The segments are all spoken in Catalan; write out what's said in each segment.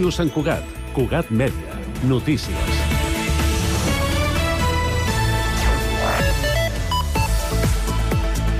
Ràdio Sant Cugat. Cugat Mèdia. Notícies.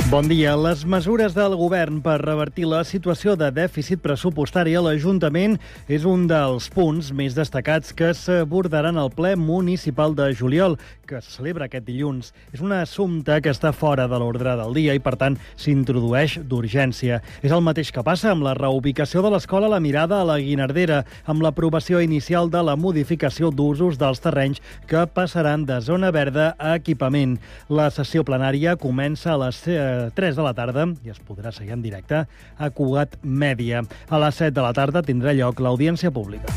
Bon dia. Les mesures del govern per revertir la situació de dèficit pressupostari a l'Ajuntament és un dels punts més destacats que s'abordaran al ple municipal de juliol, que se celebra aquest dilluns. És un assumpte que està fora de l'ordre del dia i, per tant, s'introdueix d'urgència. És el mateix que passa amb la reubicació de l'escola La Mirada a la Guinardera, amb l'aprovació inicial de la modificació d'usos dels terrenys que passaran de zona verda a equipament. La sessió plenària comença a les 3 de la tarda i es podrà seguir en directe a Cugat Mèdia. A les 7 de la tarda tindrà lloc l'audiència pública.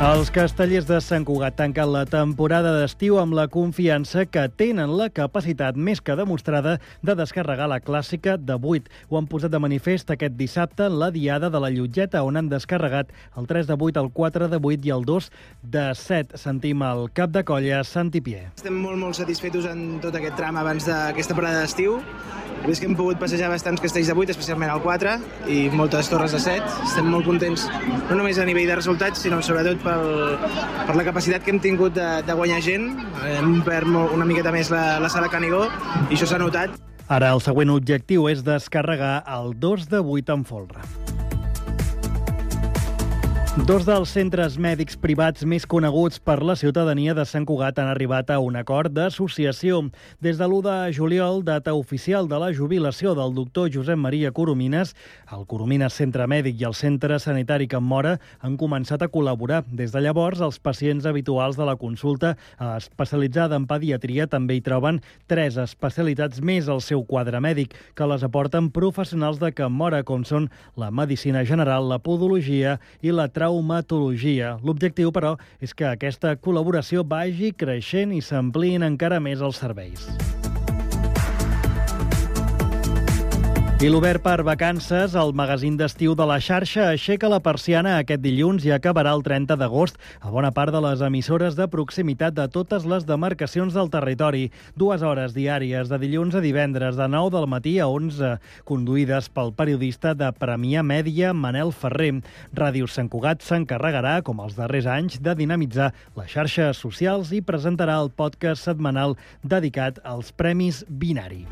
Els castellers de Sant Cugat tanquen la temporada d'estiu amb la confiança que tenen la capacitat més que demostrada de descarregar la clàssica de 8. Ho han posat de manifest aquest dissabte en la diada de la Llotgeta, on han descarregat el 3 de 8, el 4 de 8 i el 2 de 7. Sentim el cap de colla, Santi Pier. Estem molt satisfetos en tot aquest tram abans d'aquesta parada d'estiu. He vist que hem pogut passejar bastants castells de 8, especialment el 4, i moltes torres de 7. Estem molt contents, no només a nivell de resultats, sinó sobretot per la capacitat que hem tingut de guanyar gent. Hem omplert una miqueta més la sala Canigó, i això s'ha notat. Ara el següent objectiu és descarregar el 2 de 8 en folre. Dos dels centres mèdics privats més coneguts per la ciutadania de Sant Cugat han arribat a un acord d'associació. Des de l'1 de juliol, data oficial de la jubilació del doctor Josep Maria Coromines, el Coromines Centre Mèdic i el Centre Sanitari Can Móra han començat a col·laborar. Des de llavors, els pacients habituals de la consulta especialitzada en pediatria també hi troben 3 especialitats més al seu quadre mèdic, que les aporten professionals de Can Móra, com són la medicina general, la podologia i la traumatologia. L'objectiu, però, és que aquesta col·laboració vagi creixent i s'ampliïn encara més els serveis. I l'Obert per vacances, el magazín d'estiu de la xarxa, aixeca la persiana aquest dilluns i acabarà el 30 d'agost a bona part de les emissores de proximitat de totes les demarcacions del territori. 2 hores diàries, de dilluns a divendres, de 9 del matí a 11, conduïdes pel periodista de Premià Mèdia, Manel Ferrer. Ràdio Sant Cugat s'encarregarà, com els darrers anys, de dinamitzar les xarxes socials i presentarà el podcast setmanal dedicat als Premis Binari.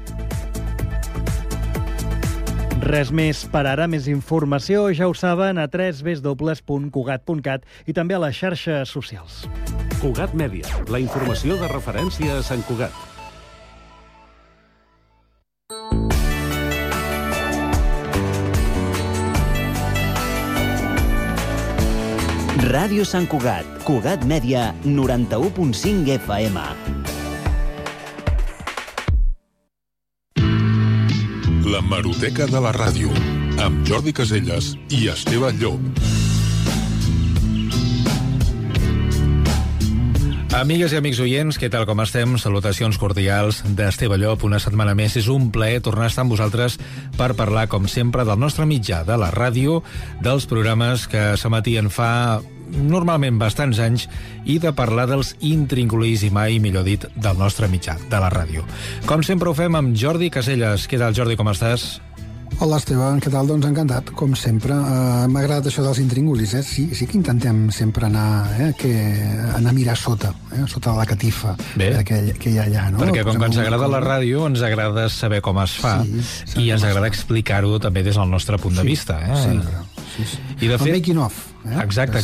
Res més per ara. Més informació, ja ho saben, a www.cugat.cat i també a les xarxes socials. Cugat Mèdia, la informació de referència a Sant Cugat. Ràdio Sant Cugat, Cugat Mèdia, 91.5 FM. La Hemeroteca de la Ràdio, amb Jordi Caselles i Esteve Llop. Amigues i amics oients, què tal, com estem? Salutacions cordials d'Esteve Llop. Una setmana més és un plaer tornar a estar amb vosaltres per parlar, com sempre, del nostre mitjà, de la ràdio, dels programes que s'emetien fa normalment bastants anys i de parlar dels intríngulis i mai, millor dit, del nostre mitjà, de la ràdio. Com sempre ho fem amb Jordi Caselles. Què tal, Jordi, com estàs? Hola, Esteve, què tal? Doncs encantat, com sempre. M'ha agradat això dels intríngulis, Sí que intentem sempre anar a mirar sota la catifa que hi ha allà, no? Perquè com que ens agrada la ràdio, ens agrada saber com es fa i ens agrada explicar-ho també des del nostre punt de vista. Sempre. I de fet, el making of. Exacte.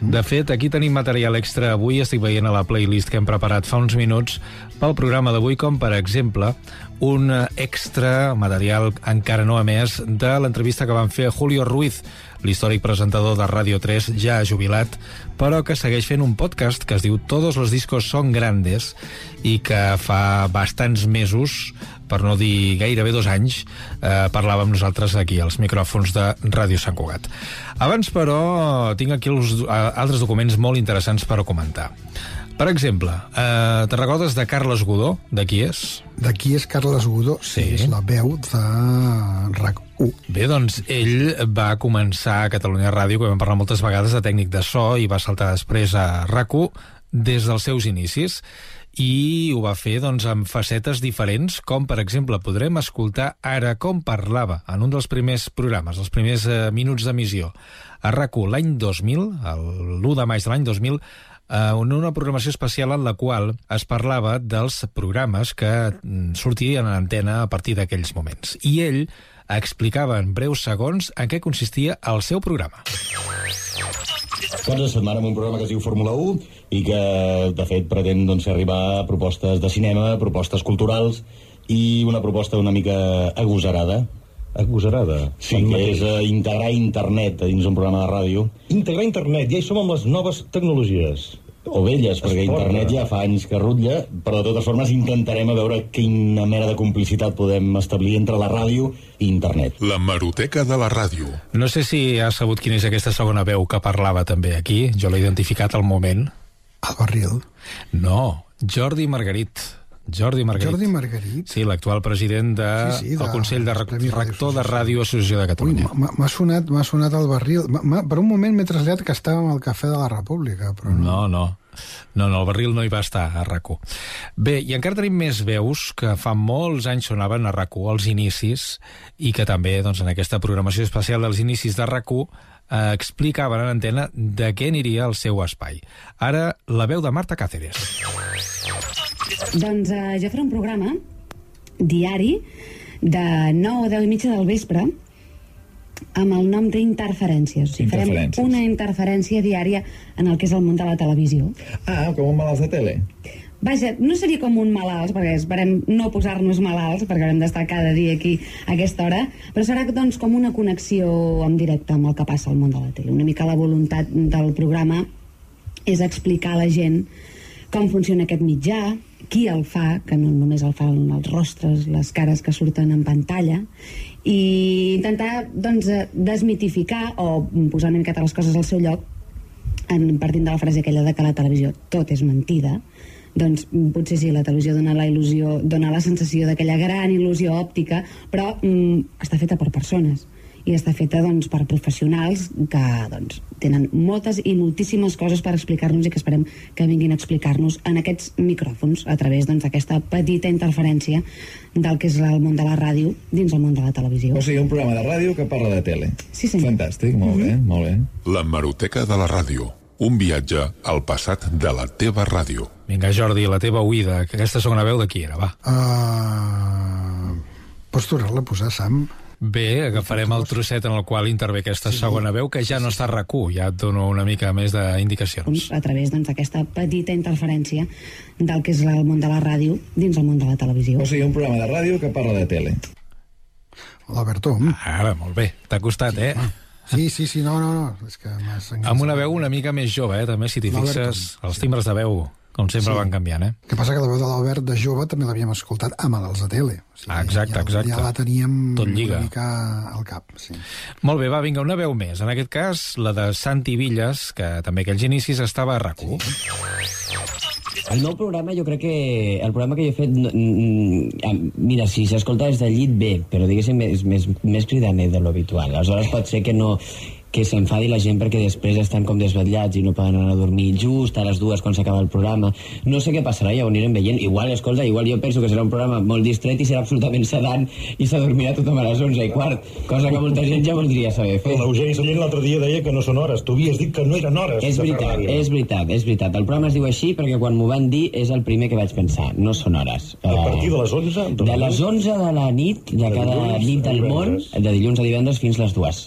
De fet, aquí tenim material extra avui. Estic veient a la playlist que hem preparat fa uns minuts pel programa d'avui, com per exemple un extra material encara no emès de l'entrevista que van fer a Julio Ruiz, l'històric presentador de Ràdio 3, ja jubilat, però que segueix fent un podcast que es diu Todos los discos son grandes i que fa bastants mesos, per no dir gairebé 2 anys, parlàvem nosaltres aquí als micròfons de Ràdio Sant Cugat. Abans, però, tinc aquí altres documents molt interessants per comentar. Per exemple, te recordes de Carles Godó? De qui és? De qui és Carles Godó? Sí, és la veu de RAC1. Bé, doncs ell va començar a Catalunya Ràdio, que vam parlar moltes vegades de tècnic de so, i va saltar després a RAC1 des dels seus inicis. i ho va fer amb facetes diferents, com per exemple podrem escoltar ara com parlava en un dels primers programes, els primers minuts d'emissió a RAC1 l'any 2000, l'1 de maig de l'any 2000, en una programació especial en la qual es parlava dels programes que sortirien a l'antena a partir d'aquells moments. I ell explicava en breus segons en què consistia el seu programa. Cada setmana amb un programa que es diu Fórmula 1 i que, de fet, pretén arribar a propostes de cinema, propostes culturals i una proposta una mica agosarada. Agosarada? Sí, que és integrar internet dins un programa de ràdio. Integrar internet, ja hi som amb les noves tecnologies. O velles, perquè internet ja fa anys que rutlla, però de totes formes intentarem a veure quina mena de complicitat podem establir entre la ràdio i internet. La Hemeroteca de la ràdio. No sé si has sabut quina és aquesta segona veu que parlava també aquí. Jo l'he identificat al moment. El Barril? No, Jordi Margarit. Jordi Margarit? Sí, l'actual president del Consell de Rector de Ràdio Associació de Catalunya. M'ha sonat el Barril. Per un moment m'he traslladat que estàvem al Cafè de la República, però no. No, el Barril no hi va estar a RAC1. Bé, i encara tenim més veus que fa molts anys sonaven a RAC1 als inicis i que també en aquesta programació especial dels inicis de RAC1 explicaven en antena de què aniria el seu espai. Ara, la veu de Marta Cáceres. Doncs jo faré un programa diari de 9 a 10 i mitja del vespre amb el nom d'Interferències. Farem una interferència diària en el que és el món de la televisió. Ah, com un malalts de tele. Vaja, no seria com un malalts, perquè esperem no posar-nos malalts, perquè haurem d'estar cada dia aquí a aquesta hora, però serà com una connexió en directe amb el que passa al món de la tele. Una mica la voluntat del programa és explicar a la gent com funciona aquest mitjà, qui el fa, que no només el fan els rostres, les cares que surten en pantalla, i intentar desmitificar o posar una miqueta les coses al seu lloc, partint de la frase aquella de que la televisió tot és mentida. Doncs potser sí, la televisió dona la sensació d'aquella gran il·lusió òptica, però està feta per persones i està feta per professionals que tenen moltes i moltíssimes coses per explicar-nos i que esperem que vinguin a explicar-nos en aquests micròfons a través d'aquesta petita interferència del que és el món de la ràdio dins el món de la televisió. O sigui, un programa de ràdio que parla de tele. Sí, senyor. Fantàstic, molt bé, molt bé. La Hemeroteca de la ràdio. Un viatge al passat de la teva ràdio. Vinga, Jordi, la teva oïda. Aquesta segona veu de qui era, va? Pots tornar-la a posar, Sam? Bé, agafarem el trosset en el qual intervé aquesta segona veu, que ja no està a RAC1, ja et dono una mica més d'indicacions. A través d'aquesta petita interferència del que és el món de la ràdio dins el món de la televisió. O sigui, un programa de ràdio que parla de tele. L'Alberto. Ara, molt bé. T'ha costat, Sí, no. És que amb una veu una mica més jove, també, si t'hi fixes, els timbres de veu, com sempre van canviant, El que passa que la veu de l'Albert de jove també l'havíem escoltat a Malalts de tele. O sigui, exacte. Ja la teníem tot lliga. Una mica al cap. Sí. Molt bé, va, vinga, una veu més. En aquest cas, la de Santi Villas, que també aquells inicis estava a RAC1. El meu programa, jo crec que el programa que jo he fet, mira, si s'escolta des del llit, bé, però diguéssim és més cridaner de l'habitual. Aleshores pot ser que s'enfadi la gent perquè després estan com desvetllats i no poden anar a dormir just a les 2 quan s'acaba el programa. No sé què passarà, ja ho anirem veient. Igual jo penso que serà un programa molt distret i serà absolutament sedant i s'adormirà tothom a les 11:15, cosa que molta gent ja voldria saber fer. L'Eugeni Sallent l'altre dia deia que no són hores. Tu havies dit que no eren hores. És veritat. El programa es diu així perquè quan m'ho van dir és el primer que vaig pensar. No són hores. A partir de les 11? De les 11 de la nit, de cada nit del món, de dilluns a divendres fins les 2.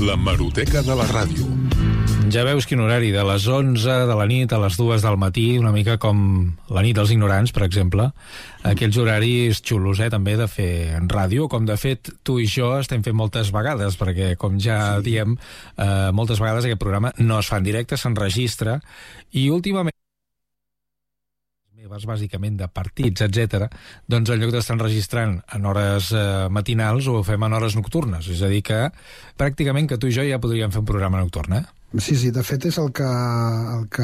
La Hemeroteca de la ràdio. Ja veus quin horari, de les 11 de la nit a les 2 del matí, una mica com la nit dels ignorants, per exemple. Aquells horaris xulos, també, de fer en ràdio, com de fet tu i jo estem fent moltes vegades, perquè, com ja diem, moltes vegades aquest programa no es fa en directe, s'enregistra, i últimament bàsicament de partits, etc., doncs en lloc d'estar enregistrant en hores matinals ho fem en hores nocturnes. És a dir que pràcticament que tu i jo ja podríem fer un programa nocturn, Sí, de fet és el que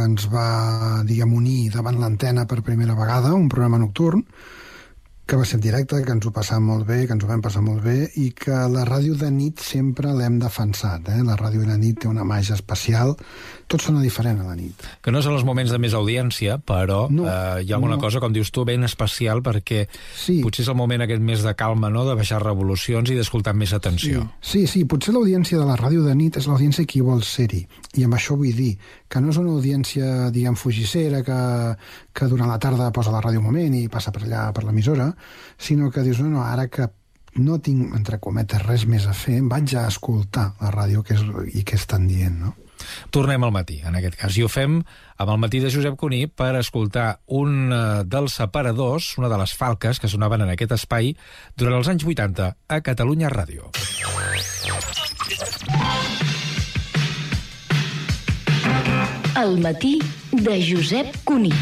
ens va, unir davant l'antena per primera vegada, un programa nocturn, que va ser en directe, que ens ho passàvem molt bé, que ens ho vam passar molt bé, i que la ràdio de nit sempre l'hem defensat. La ràdio de nit té una màgia especial, tot sona diferent a la nit. Que no són els moments de més audiència, però hi ha alguna cosa, com dius tu, ben especial, perquè potser és el moment aquest més de calma, no?, de baixar revolucions i d'escoltar amb més atenció. Sí, potser l'audiència de la ràdio de nit és l'audiència que hi vol ser-hi, i amb això vull dir que no és una audiència, diguem, fugissera, que durant la tarda posa la ràdio un moment i passa per allà, per l'emissora, sinó que dius, no, ara que no tinc, entre cometes, res més a fer, vaig a escoltar la ràdio i què estan dient, no? Tornem al matí, en aquest cas, i ho fem amb el matí de Josep Cuní per escoltar un dels separadors, una de les falques que sonaven en aquest espai durant els anys 80 a Catalunya Ràdio. El matí de Josep Cuní.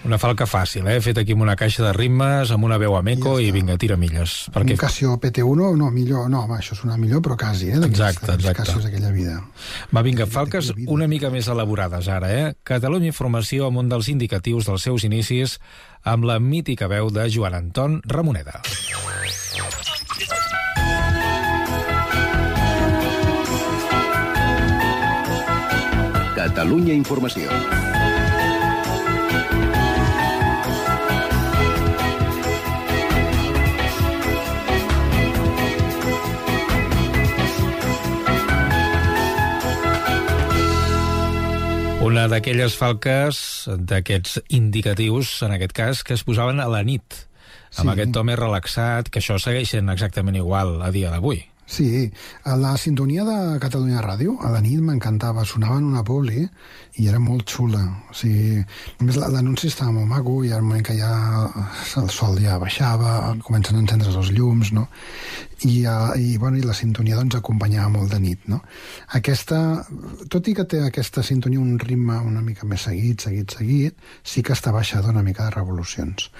Una falca fàcil, fet aquí amb una caixa de ritmes, amb una veu a meco i vinga, tira milles. Un Casio PT1, no, millor, no, això sona millor, però quasi, Exacte. Casios d'aquella vida. Va, vinga, falques una mica més elaborades ara, Catalunya Informació amb un dels indicatius dels seus inicis, amb la mítica veu de Joan Anton Ramoneda. Catalunya Informació. Una d'aquelles falques, d'aquests indicatius, en aquest cas, que es posaven a la nit, amb aquest to més relaxat, que això segueix sent exactament igual a dia d'avui. Sí, a la sintonia de Catalunya Ràdio, a la nit m'encantava, sonava en una publi i era molt xula. O sigui, només l'anunci estava molt maco i al moment que ja el sol ja baixava, comencen a encendre's els llums, no? I la sintonia doncs acompanyava molt de nit, no? Tot i que té aquesta sintonia un ritme una mica més seguit, sí que està baixada una mica de revolucions.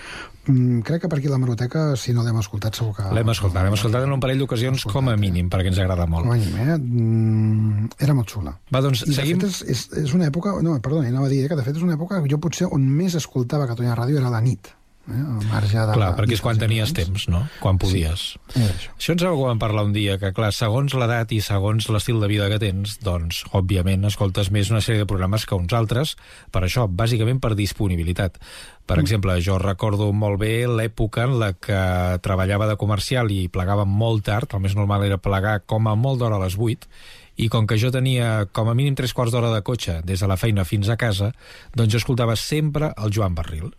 Crec que per aquí la Hemeroteca, si no l'hem escoltat, segur que... L'hem escoltat en un parell d'ocasions com a mínim, perquè ens agrada molt. Com a mínim, era molt xula. Va, doncs, seguim... De fet, és una època... No, perdona, anava a dir que de fet és una època que jo potser on més escoltava Catalunya Ràdio era a la nit. Al marge de... Clar, perquè és quan tenies temps, no? Quan podies. Sí, això ens ho vam parlar un dia, que clar, segons l'edat i segons l'estil de vida que tens, doncs, òbviament, escoltes més una sèrie de programes que uns altres, per això, bàsicament per disponibilitat. Per exemple, jo recordo molt bé l'època en la que treballava de comercial i plegava molt tard, el més normal era plegar com a molt d'hora a les 8, i com que jo tenia com a mínim 3/4 d'hora de cotxe des de la feina fins a casa, doncs jo escoltava sempre el Joan Barril,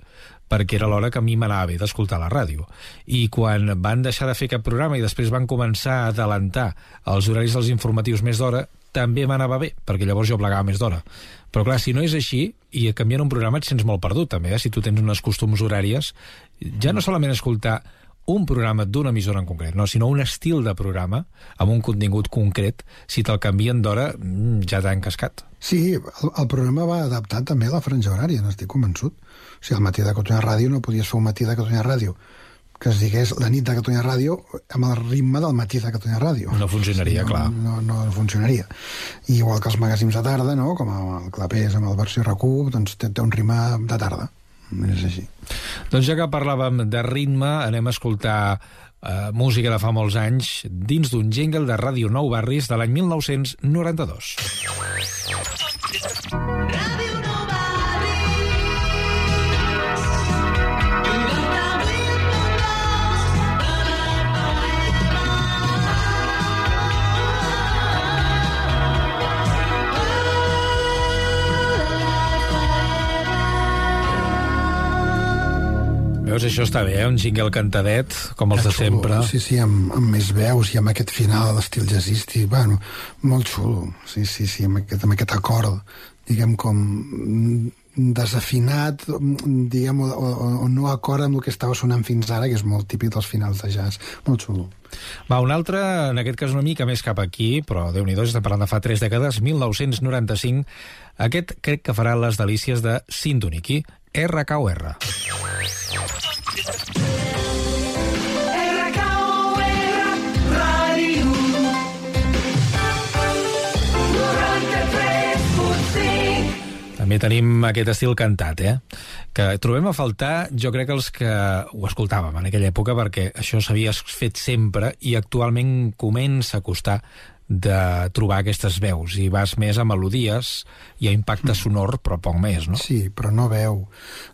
perquè era l'hora que a mi m'anava bé d'escoltar la ràdio. I quan van deixar de fer aquest programa i després van començar a adelantar els horaris dels informatius més d'hora, també m'anava bé, perquè llavors jo plegava més d'hora. Però clar, si no és així, i canviant un programa et sents molt perdut també, si tu tens unes costums horàries, ja no solament escoltar un programa d'una emissora en concret, no, sinó un estil de programa amb un contingut concret, si te'l canvien d'hora, ja t'ha encascat. Sí, el programa va adaptar també a la franja horària, n'estic convençut. O sigui, al matí de Catalunya Ràdio no podies fer un matí de Catalunya Ràdio que es digués la nit de Catalunya Ràdio amb el ritme del matí de Catalunya Ràdio. No funcionaria, clar. No funcionaria. I igual que els magazins de tarda, no? Com el Clapés amb el versió RAC1, doncs té un ritme de tarda. És així. Doncs ja que parlàvem de ritme, anem a escoltar música de fa molts anys dins d'un jingle de Ràdio Nou Barris de l'any 1992. Ràdio Nou Veus, això està bé, un jingle cantadet, com els de sempre. Sí, amb més veus i amb aquest final a l'estil jazzístic, bueno, molt xulo. Sí, amb aquest acord, diguem, com desafinat, diguem, o no acord amb el que estava sonant fins ara, que és molt típic dels finals de jazz. Molt xulo. Va, un altre, en aquest cas una mica més cap aquí, però Déu-n'hi-do, estem parlant de fa 3 dècades, 1995. Aquest crec que farà les delícies de Sindoniqui, RKOR. També tenim aquest estil cantat, que trobem a faltar, jo crec, els que ho escoltàvem en aquella època, perquè això s'havia fet sempre i actualment comença a costar de trobar aquestes veus, i vas més a melodies i a impacte sonor, però poc més, no? Sí, però no veu.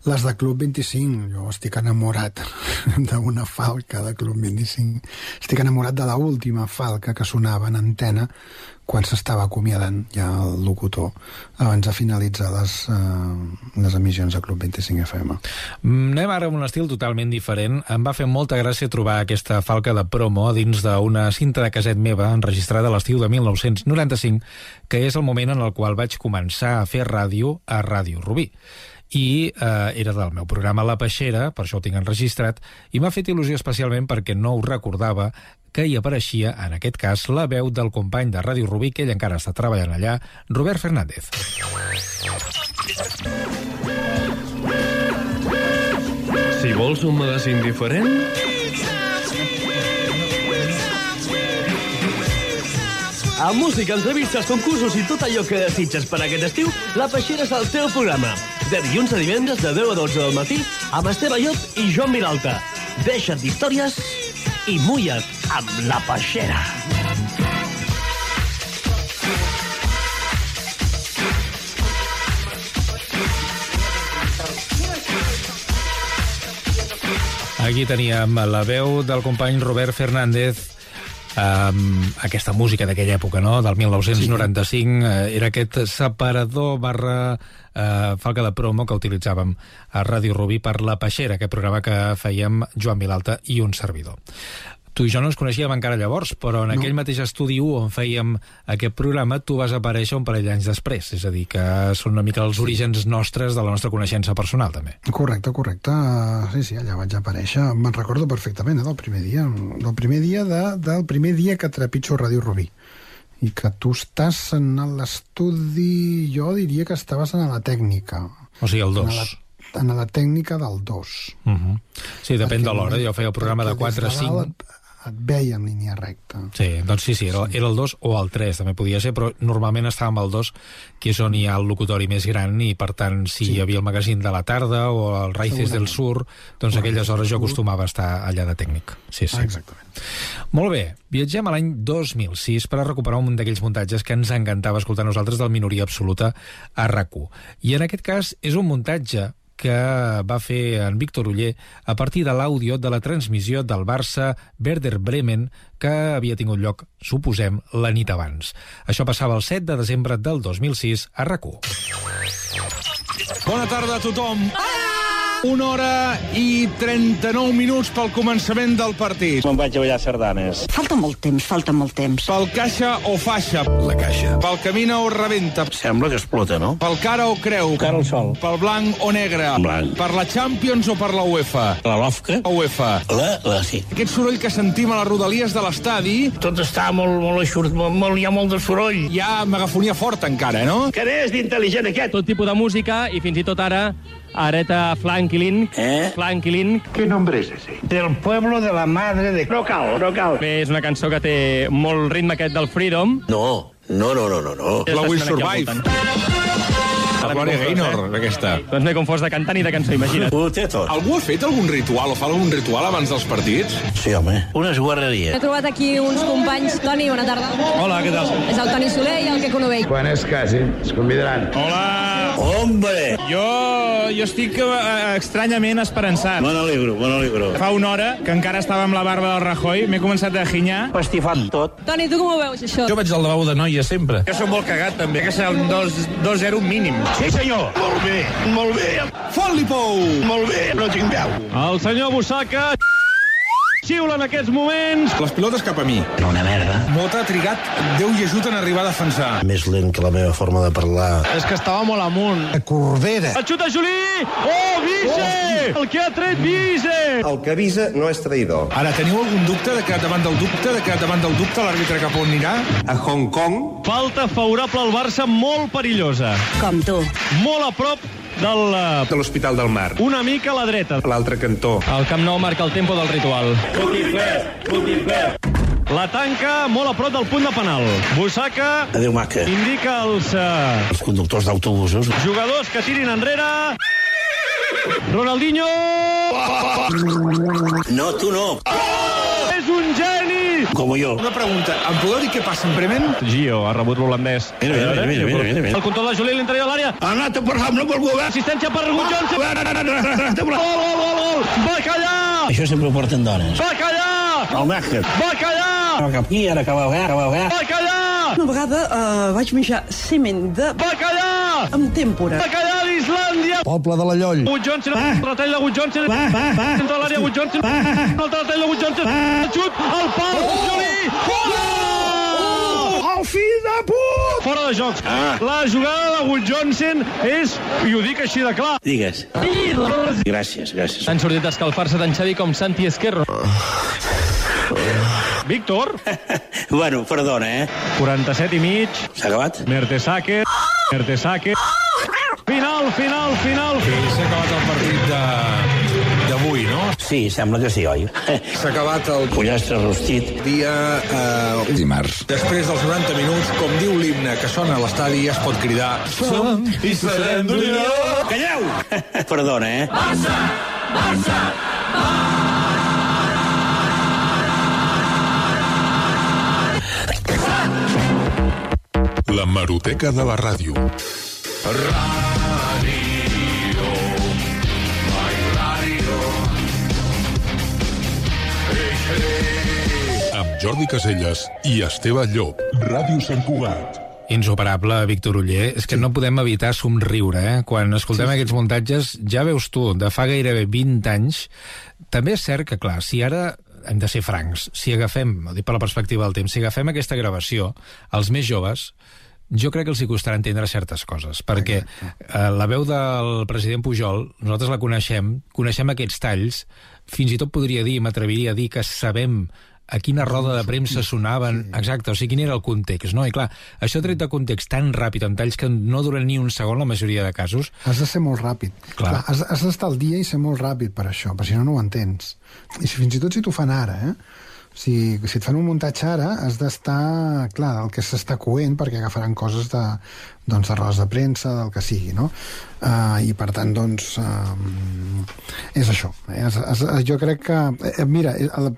Les de Club 25, jo estic enamorat d'una falca de Club 25. Estic enamorat de l'última falca que sonava en antena quan s'estava acomiadant ja el locutor abans de finalitzar les emissions de Club 25 FM. Anem ara amb un estil totalment diferent. Em va fer molta gràcia trobar aquesta falca de promo dins d'una cinta de caset meva enregistrada a l'estiu de 1995, que és el moment en el qual vaig començar a fer ràdio a Ràdio Rubí. I era del meu programa La Peixera, per això ho tinc enregistrat, i m'ha fet il·lusió especialment perquè no ho recordava, que hi apareixia, en aquest cas, la veu del company de Ràdio Rubí, que ell encara està treballant allà, Robert Fernández. Si vols un magazín diferent... Amb música, entrevistes, concursos i tot allò que desitges per aquest estiu, La Peixera és el teu programa. De dilluns a divendres de 10 a 12 del matí amb Esteve Llop i Joan Vilalta. Deixa't d'històries i mulla't amb La Peixera. Aquí teníem la veu del company Robert Fernández. Aquesta música d'aquella època, no?, del 1995, era aquest separador barra falca de promo que utilitzàvem a Ràdio Rubí per La Peixera, aquest programa que fèiem Joan Vilalta i un servidor. Tu i jo no ens coneixíem encara llavors, però en aquell mateix estudi 1 on fèiem aquest programa tu vas aparèixer un parell d'anys després, és a dir, que són una mica els orígens nostres de la nostra coneixença personal, també. Correcte. Sí, allà vaig aparèixer. Me'n recordo perfectament, del primer dia que trepitjo Ràdio Rubí. I que tu estàs en l'estudi, jo diria que estaves en la tècnica. O sigui, el 2. En la tècnica del 2. Sí, depèn de l'hora. Jo feia el programa de 4 a 5... Et veia en línia recta. Sí, doncs sí, era el 2 o el 3, també podia ser, però normalment estàvem al 2, que és on hi ha el locutori més gran, i per tant, si hi havia el magazín de la tarda o el Raíces del Sur, doncs aquelles hores jo acostumava a estar allà de tècnic. Sí. Exactament. Molt bé, viatgem a l'any 2006 per a recuperar un d'aquells muntatges que ens encantava escoltar nosaltres del Minoria Absoluta a RAC1. I en aquest cas és un muntatge que va fer en Víctor Oller a partir de l'àudio de la transmissió del Barça Werder Bremen que havia tingut lloc, suposem, la nit abans. Això passava el 7 de desembre del 2006 a RAC1. Bona tarda a tothom. 1 hora i 39 minuts pel començament del partit. Me'n vaig a ballar sardanes. Falta molt temps. Pel caixa o faixa. La caixa. Pel camina o rebenta. Sembla que explota, no? Pel cara o creu. Cara al sol. Pel blanc o negre. Blanc. Per la Champions o per la UEFA. La LOFCA. UEFA. Sí. Aquest soroll que sentim a les rodalies de l'estadi... Tot està molt eixut, hi ha molt de soroll. Hi ha megafonia forta encara, no? Que n'és d'intel·ligent aquest? Tot tipus de música i fins i tot ara Areta Flankilin. Flankilin. ¿Qué nombre es ese? Del pueblo de la madre de... No cal. Bé, és una cançó que té molt ritme aquest del Freedom. No. La Will Survive. La Gloria Gaynor, aquesta. Doncs m'he confós de cantant i de cançó, imagina't. Ho té tot. Algú ha fet algun ritual o fa algun ritual abans dels partits? Sí, home. Unes guarreries. He trobat aquí uns companys. Toni, bona tarda. Hola, què tal? És el Toni Soler i el Queco Novell. Quan es casin, es convidaran. Hola. Hombre! Jo estic estranyament esperançat. Me n'alegro. Fa una hora que encara estava amb la barba del Rajoy, m'he començat a ginyar. Pastifant tot. Toni, tu com ho veus, això? Jo vaig al lavabo de noia sempre. Jo soc molt cagat, també. Que serà un 2-0 mínim. Sí, senyor. Molt bé. Fot-li pou! Molt bé, no tinc veu. El senyor Bussaca xiula en aquests moments. Les pilotes cap a mi. Una merda. Mota ha trigat Déu i ajut en arribar a defensar. Més lent que la meva forma de parlar. És que estava molt amunt. A Corbera. El xuta Juli! Oh, Vise! El que ha tret Vise! El que avisa no és traïdor. Ara, teniu algun dubte de que davant del dubte l'àrbitre cap on anirà? A Hong Kong. Falta favorable al Barça, molt perillosa. Com tu. Molt a prop de l'Hospital del Mar. una mica a la dreta. A l'altre cantó. El Camp Nou marca el tempo del ritual. La tanca molt a prop del punt de penal. Bussaca Adéu, maca. indica als Els conductors d'autobusos. jugadors que tirin enrere. Ronaldinho! No, tu no. És un geni! Como yo. Una pregunta, em podeu dir què passa en Bremen? Gio ha rebut l'holandès. Mira. El control de Juli a l'interior de l'àrea. Anat per no per govern. Assistència per Johnson. Gol! Bacallà! Això sempre ho porten dones. Bacallà! El Nàquer. Bacallà! Aquí, ara que va veure. Bacallà! Una vegada vaig menjar semen de Bacallà! amb tèmpora. Bacallà d'Islàndia! Poble de la Lloll. Wood Johnson, retall de Wood Johnson. Entra a l'àrea Wood Johnson. Un altre retall de Wood Johnson. Xut, al pal, Juli! Gol! El fill de put! Fora de joc. La jugada de Wood Johnson és, i ho dic així de clar. Digues. Gràcies. Han sortit a escalfar-se tant Xavi com Santi Esquerro. Víctor? Bueno, perdona, 47 i mig. S'ha acabat? Mertesacker. Final. Sí, s'ha acabat el partit d'avui, no? Sí, sembla que sí, oi? S'ha acabat el Pollastre rostit. dia Dimarts. després dels 90 minuts, com diu l'himne que sona a l'estadi, es pot cridar Som i serem d'Unió. Calleu! Perdona, Barça! L'hemeroteca de la ràdio. Amb Jordi Caselles i Esteve Llop. Ràdio Sant Cugat. Insuperable, Víctor Oller. És que no podem evitar somriure, Quan escoltem aquests muntatges, ja veus tu, de fa gairebé 20 anys. També és cert que, clar, si ara hem de ser francs, si agafem, ho dic per la perspectiva del temps, si agafem aquesta gravació, els més joves, jo crec que els hi costarà entendre certes coses, perquè la veu del president Pujol, nosaltres la coneixem aquests talls, fins i tot podria dir, m'atreviria a dir que sabem a quina roda de premsa sonaven, exacte, o sigui, quin era el context, no? I clar, això tret de context tan ràpid, en talls que no duren ni un segon la majoria de casos... Has de ser molt ràpid. Clar, has d'estar al dia i ser molt ràpid per això, perquè si no, no ho entens. I fins i tot si t'ho fan ara, si et fan un muntatge ara, has d'estar, clar, el que s'està coent, perquè agafaran coses de rodes de premsa, del que sigui, no? I per tant, doncs, és això. Jo crec que... Mira,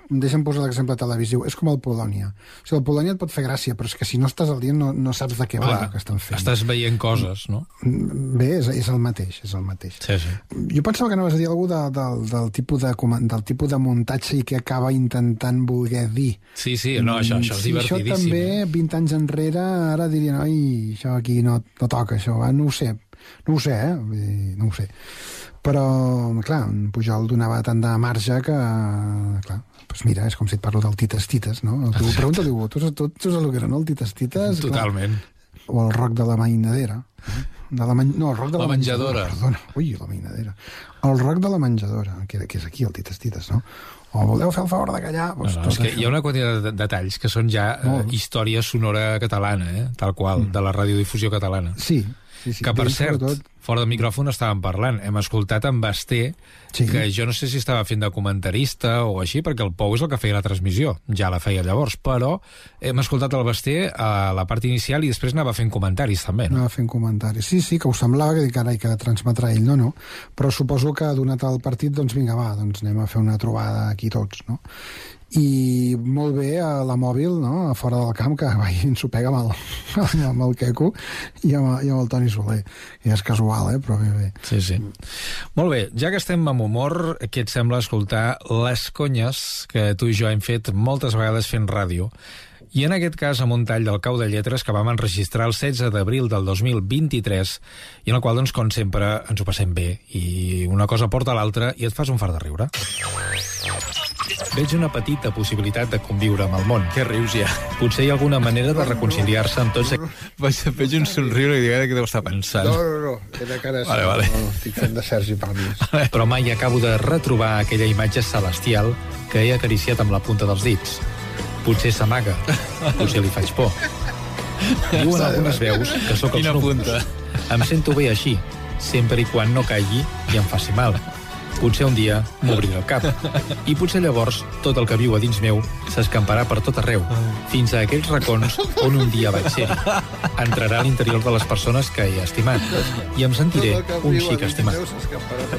deixa'm posar l'exemple televisiu. És com el Polònia. O sigui, el Polònia et pot fer gràcia, però és que si no estàs al dia no saps de què va el que estan fent. Estàs veient coses, no? Bé, és el mateix, Sí. Jo pensava que anaves a dir alguna cosa del tipus de muntatge i que acaba intentant voler dir. Sí, no, això és divertidíssim. Això també, 20 anys enrere, ara dirien, ai, això aquí no toca, això, no ho sé, no ho sé. Però, clar, en Pujol donava tant de marge que, clar, doncs mira, és com si et parlo del Tites, no? Tu pregunta-li, tu saps el que era, no? El Tites? Totalment. O el rock de la mainadera. No, el rock de la menjadora. Perdona, la mainadera. El rock de la menjadora, que és aquí, el Tites, no? O voleu fer el favor de callar? Doncs és que hi ha una quantitat de detalls que són ja història sonora catalana, tal qual, de la radiodifusió catalana. Sí. Que, per cert, fora de micròfon estàvem parlant. Hem escoltat en Basté, que jo no sé si estava fent de comentarista o així, perquè el Pou és el que feia la transmissió. Ja la feia llavors, però hem escoltat el Basté a la part inicial i després anava fent comentaris, també, no? Anava fent comentaris. Sí, que ho semblava, que carai, que transmetrà ell. No. Però suposo que, donat el partit, doncs vinga, va, doncs anem a fer una trobada aquí tots, no? I molt bé a la mòbil, no? A fora del camp, que s'ho pega amb el Queco i amb el Toni Soler. I és casual, però bé. Sí. Molt bé, ja que estem amb humor, què et sembla escoltar les conyes que tu i jo hem fet moltes vegades fent ràdio? I en aquest cas amb un tall del Cau de Lletres que vam enregistrar el 16 d'abril del 2023 i en el qual, doncs, com sempre, ens ho passem bé i una cosa porta a l'altra i et fas un fart de riure. Veig una petita possibilitat de conviure amb el món. Què rius ja? Potser hi ha alguna manera de reconciliar-se amb tots... Veig un somriure i dic, què deu estar pensant? No, era cara... Vale. No, estic fent de Sergi Pàmies. Però mai acabo de retrobar aquella imatge celestial que he acariciat amb la punta dels dits. Potser s'amaga, potser li faig por. Diuen algunes veus que sóc els núvols. Em sento bé així, sempre i quan no caigui i em faci mal. Potser un dia m'obriré el cap. I potser llavors tot el que viu a dins meu s'escamparà per tot arreu, fins a aquells racons on un dia vaig ser. Entrarà a l'interior de les persones que he estimat i em sentiré un xic estimat.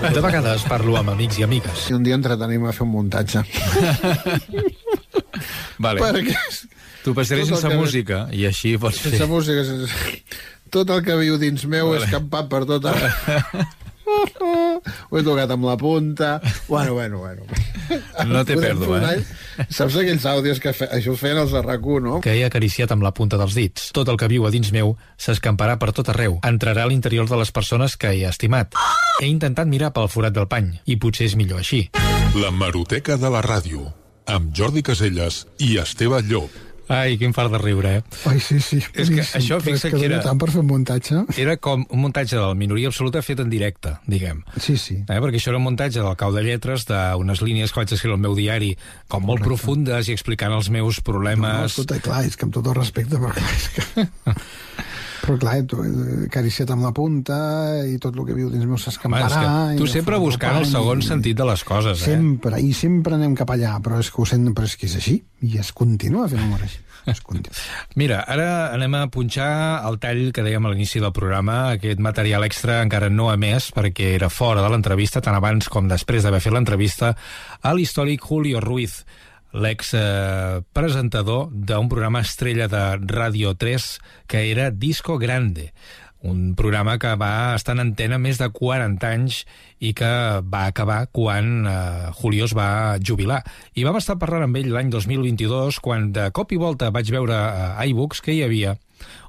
De vegades parlo amb amics i amigues. Si un dia entretenim a fer un muntatge. Vale. Perquè... Tu passaré sense música i així pots fer. Sense música, tot el que viu dins meu és escampat per tot arreu. Ho he tocat amb la punta. Bueno. No té pèrdua, Saps aquells àudios que això ho feien els de RAC1, no? Que he acariciat amb la punta dels dits. Tot el que viu a dins meu s'escamparà per tot arreu. Entrarà a l'interior de les persones que he estimat. He intentat mirar pel forat del pany, i potser és millor així. L'hemeroteca de la ràdio, amb Jordi Casellas i Esteve Llop. Ai, quin fart de riure, Ai, sí. És que això, fixa't que era... tant per fer un muntatge. Era com un muntatge de la minoria absoluta fet en directe, diguem. Sí. Perquè això era un muntatge del cau de lletres d'unes línies que vaig escriure al meu diari, com molt profundes i explicant els meus problemes... No, escolta, clar, és que amb tot el respecte, però clar, és que... Però clar, acariciat amb la punta i tot el que viu dins meu s'escamparà... Tu sempre buscant el segon sentit de les coses, Sempre, i sempre anem cap allà, però és que ho sent, però és que és així, i es continua fent humor així. Mira, ara anem a punxar el tall que dèiem a l'inici del programa, aquest material extra encara no emès, perquè era fora de l'entrevista, tant abans com després d'haver fet l'entrevista, a l'històric Julio Ruiz, l'ex-presentador d'un programa estrella de Radio 3 que era Disco Grande, un programa que va estar en antena més de 40 anys i que va acabar quan Julio es va jubilar. I vam estar parlant amb ell l'any 2022 quan de cop i volta vaig veure a iBooks que hi havia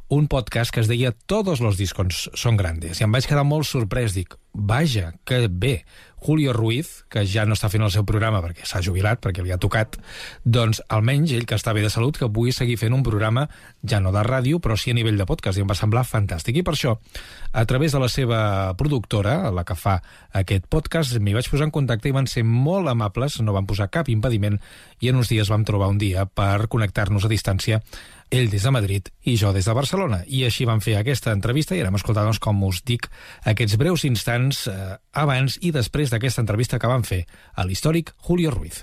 un podcast que es deia Todos los discos son grandes. I em vaig quedar molt sorprès. Dic, vaja, que bé. Julio Ruiz, que ja no està fent el seu programa perquè s'ha jubilat, perquè li ha tocat, doncs almenys ell, que està bé de salut, que pugui seguir fent un programa, ja no de ràdio, però sí a nivell de podcast, i em va semblar fantàstic. I per això, a través de la seva productora, la que fa aquest podcast, m'hi vaig posar en contacte i van ser molt amables, no van posar cap impediment, i en uns dies vam trobar un dia per connectar-nos a distància, ell des de Madrid i jo des de Barcelona. I així vam fer aquesta entrevista i anem a escoltar, doncs, com us dic, aquests breus instants abans i després d'aquesta entrevista que vam fer a l'històric Julio Ruiz.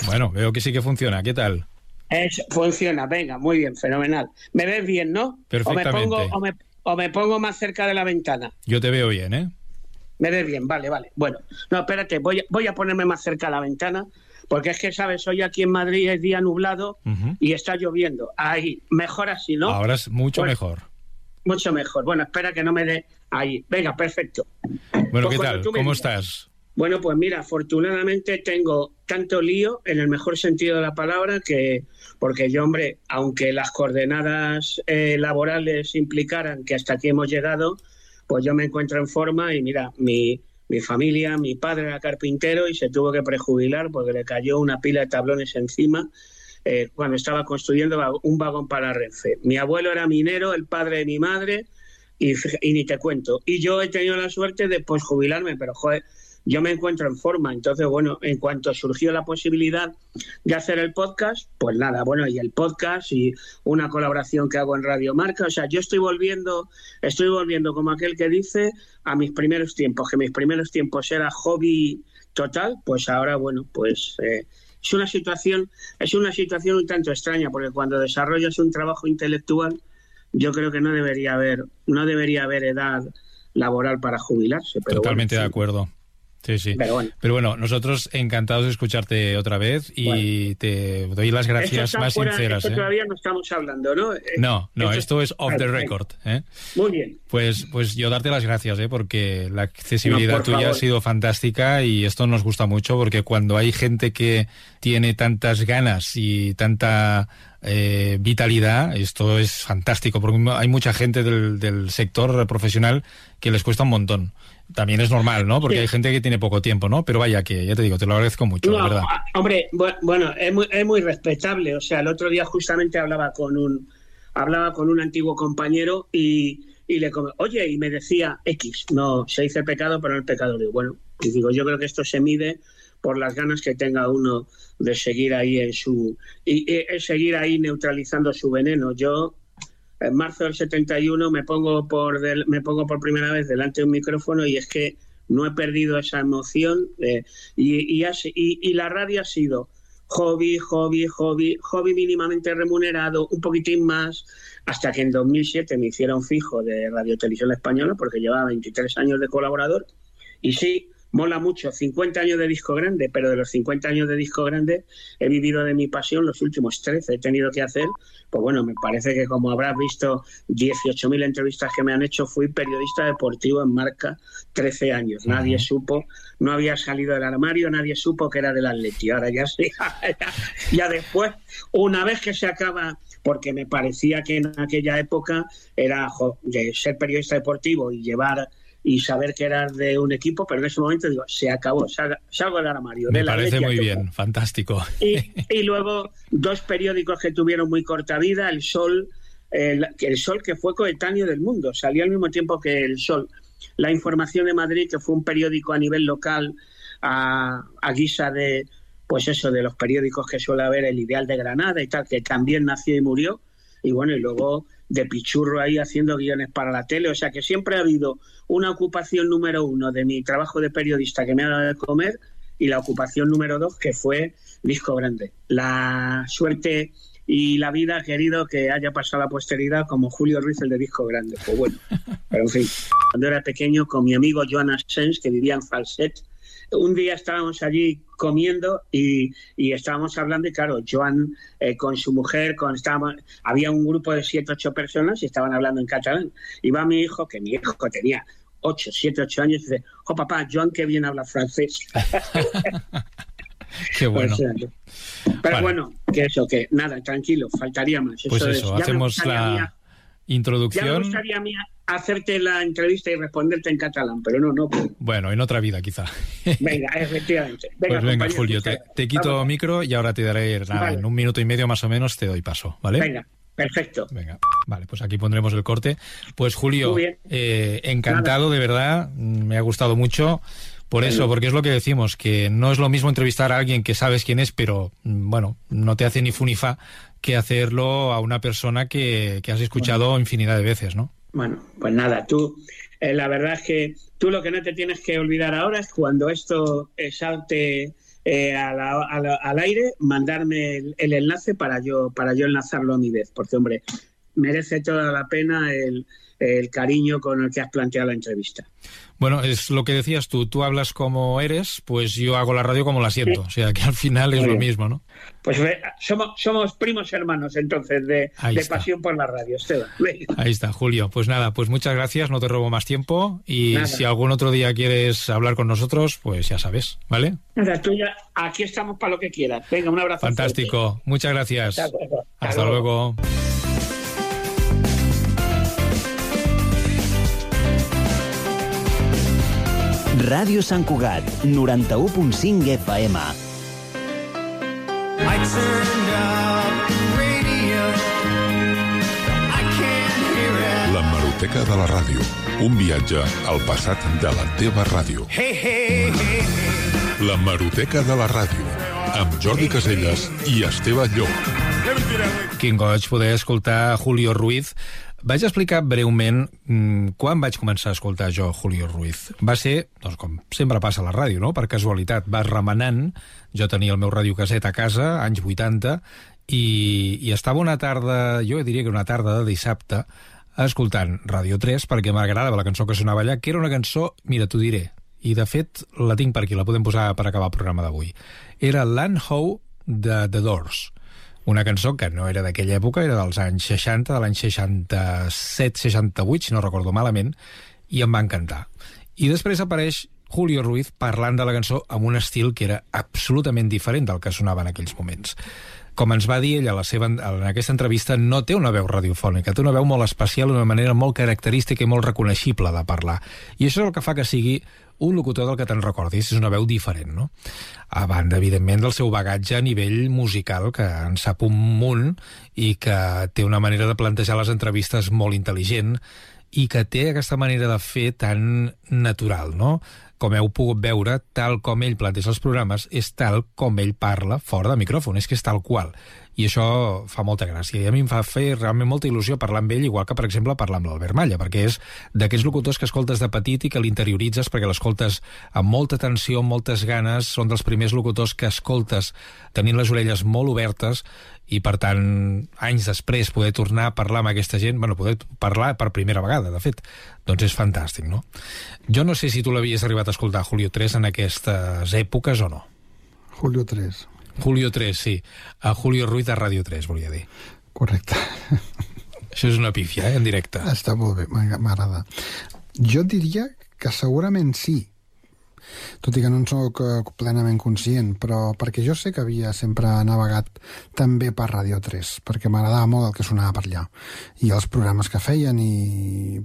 Bueno, veo que sí que funciona. ¿Qué tal? Funciona, venga, muy bien, fenomenal. ¿Me ves bien, no? Perfectamente. O me pongo más cerca de la ventana. Yo te veo bien, ¿eh? Me ves bien, vale. Bueno, no, espérate, voy a ponerme más cerca de la ventana. Porque es que, ¿sabes? Hoy aquí en Madrid es día nublado y está lloviendo. Ahí, mejor así, ¿no? Ahora es mucho mejor. Mucho mejor. Bueno, espera que no me dé ahí. Venga, perfecto. Bueno, pues, ¿qué tal? ¿Cómo estás? Bueno, pues mira, afortunadamente tengo tanto lío, en el mejor sentido de la palabra, que porque yo, hombre, aunque las coordenadas laborales implicaran que hasta aquí hemos llegado, pues yo me encuentro en forma y mira, mi familia, mi padre era carpintero y se tuvo que prejubilar porque le cayó una pila de tablones encima cuando estaba construyendo un vagón para Renfe. Mi abuelo era minero, el padre de mi madre, y ni te cuento. Y yo he tenido la suerte de pues jubilarme, pero joder, yo me encuentro en forma. Entonces, bueno, en cuanto surgió la posibilidad de hacer el podcast, pues nada, bueno, y el podcast y una colaboración que hago en Radio Marca, o sea, yo estoy volviendo como aquel que dice a mis primeros tiempos, que mis primeros tiempos era hobby total, pues ahora, bueno, pues es una situación un tanto extraña, porque cuando desarrollas un trabajo intelectual, yo creo que no debería haber edad laboral para jubilarse. Pero totalmente bueno, de acuerdo. Sí. Pero bueno, nosotros encantados de escucharte otra vez y te doy las gracias más sinceras. Esto todavía no estamos hablando, ¿no? No, esto es off the record. Muy bien. Pues yo darte las gracias, porque la accesibilidad tuya ha sido fantástica y esto nos gusta mucho porque cuando hay gente que tiene tantas ganas y tanta vitalidad, esto es fantástico porque hay mucha gente del sector profesional que les cuesta un montón. También es normal, ¿no? Porque hay gente que tiene poco tiempo, ¿no? Pero vaya que, ya te digo, te lo agradezco mucho, la verdad. Hombre, bueno, es muy respetable. O sea, el otro día justamente hablaba con un antiguo compañero y me decía X, no, se dice pecado, pero no el pecado. Digo, y digo, yo creo que esto se mide por las ganas que tenga uno de seguir ahí seguir ahí neutralizando su veneno. Yo en marzo del 71 me pongo por primera vez delante de un micrófono y es que no he perdido esa emoción y la radio ha sido hobby mínimamente remunerado, un poquitín más, hasta que en 2007 me hicieron fijo de Radio Televisión Española porque llevaba 23 años de colaborador y sí, mola mucho, 50 años de disco grande, pero de los 50 años de disco grande he vivido de mi pasión los últimos 13. He tenido que hacer, pues bueno, me parece que como habrás visto 18.000 entrevistas que me han hecho, fui periodista deportivo en Marca 13 años. Nadie supo, no había salido del armario, nadie supo que era del Atleti. Ahora ya sí, ya después, una vez que se acaba, porque me parecía que en aquella época era de ser periodista deportivo y llevar y saber que eras de un equipo, pero en ese momento digo, se acabó, salgo del armario. Me parece muy bien, fantástico. Y luego 2 periódicos que tuvieron muy corta vida, El Sol, el Sol que fue coetáneo del Mundo, salió al mismo tiempo que El Sol. La Información de Madrid, que fue un periódico a nivel local, a guisa de, pues eso, de los periódicos que suele haber, El Ideal de Granada y tal, que también nació y murió, y bueno, y luego de pichurro ahí haciendo guiones para la tele, o sea que siempre ha habido una ocupación número 1 de mi trabajo de periodista que me ha dado de comer y la ocupación número 2 que fue disco grande. La suerte y la vida ha querido que haya pasado a la posteridad como Julio Ruiz, el de disco grande, pues bueno, pero en fin, cuando era pequeño con mi amigo Joan Asens, que vivía en Falset, un día estábamos allí comiendo y estábamos hablando y claro, Joan con su mujer, había un grupo de 7 u 8 personas y estaban hablando en catalán. Y va mi hijo, que mi hijo tenía 7, 8 años, y dice, papá, Joan que bien habla francés. Qué bueno. Pero vale. Bueno, que nada, tranquilo, faltaría más. Pues eso, hacemos la introducción. Ya me gustaría a mí hacerte la entrevista y responderte en catalán, pero no puedo. Bueno, en otra vida quizá. Venga, efectivamente. Pues venga, Julio, te quito micro y ahora te daré nada, en 1 minuto y medio más o menos te doy paso, ¿vale? Venga, perfecto. Venga, vale, pues aquí pondremos el corte. Pues Julio, encantado, de verdad, me ha gustado mucho. Por eso, porque es lo que decimos, que no es lo mismo entrevistar a alguien que sabes quién es, pero bueno, no te hace ni fu ni fa, que hacerlo a una persona que has escuchado infinidad de veces, ¿no? Bueno, pues nada, tú, la verdad es que tú lo que no te tienes que olvidar ahora es cuando esto salte al aire, mandarme el enlace para yo enlazarlo a mi vez, porque hombre, merece toda la pena el cariño con el que has planteado la entrevista. Bueno, es lo que decías tú hablas como eres, pues yo hago la radio como la siento, o sea que al final es lo mismo, ¿no? Pues somos primos hermanos entonces de pasión por la radio, Esteban. Ahí está, Julio. Pues nada, pues muchas gracias, no te robo más tiempo y nada. Si algún otro día quieres hablar con nosotros, pues ya sabes, ¿vale? Nada, tú ya, aquí estamos para lo que quieras. Venga, un abrazo. Fantástico, fuerte. Muchas gracias. Hasta luego. Ràdio Sant Cugat, 91.5 FM. La Hemeroteca de la ràdio. Un viatge al passat de la teva ràdio. La Hemeroteca de la ràdio. Amb Jordi Casellas i Esteve Llop. Quin goig poder escoltar Julio Ruiz. Vaig explicar breument quan vaig començar a escoltar jo Julio Ruiz. Va ser, doncs, com sempre passa a la ràdio, no? Per casualitat, vas remenant. Jo tenia el meu radiocasset a casa, anys 80, i estava una tarda, jo diria que una tarda de dissabte, escoltant Ràdio 3, perquè m'agradava la cançó que sonava allà, que era una cançó, mira, t'ho diré, i de fet la tinc per aquí, la podem posar per acabar el programa d'avui. Era Land Ho de The Doors. Una cançó que no era d'aquella època, era dels anys 60, de l'any 67-68, si no recordo malament, i em va encantar. I després apareix Julio Ruiz parlant de la cançó amb un estil que era absolutament diferent del que sonava en aquells moments. Com ens va dir ell en aquesta entrevista, no té una veu radiofònica, té una veu molt especial, una manera molt característica i molt reconeixible de parlar. I això és el que fa que sigui un locutor del que te'n recordis, és una veu diferent, no? A banda, evidentment, del seu bagatge a nivell musical, que en sap un munt i que té una manera de plantejar les entrevistes molt intel·ligent i que té aquesta manera de fer tan natural, no? com heu pogut veure, tal com ell planteja els programes, és tal com ell parla fora de micròfon, és que és tal qual. I això fa molta gràcia. I a mi em fa fer realment molta il·lusió parlar amb ell, igual que, per exemple, parlar amb l'Albert Malla, perquè és d'aquests locutors que escoltes de petit i que l'interioritzes perquè l'escoltes amb molta atenció, amb moltes ganes, són dels primers locutors que escoltes tenint les orelles molt obertes i, per tant, anys després poder tornar a parlar amb aquesta gent, bueno, poder parlar per primera vegada, de fet, doncs és fantàstic, no? Jo no sé si tu l'havies arribat a escoltar, Julio 3, en aquestes èpoques o no. Julio 3. Julio 3, sí. A Julio Ruiz de Ràdio 3, volia dir. Correcte. Això és una pífia, en directe. Està molt bé, m'agrada. Jo diria que segurament sí, tot i que no en soc plenament conscient, però perquè jo sé que havia sempre navegat també per Ràdio 3, perquè m'agradava molt el que sonava per allà, i els programes que feien,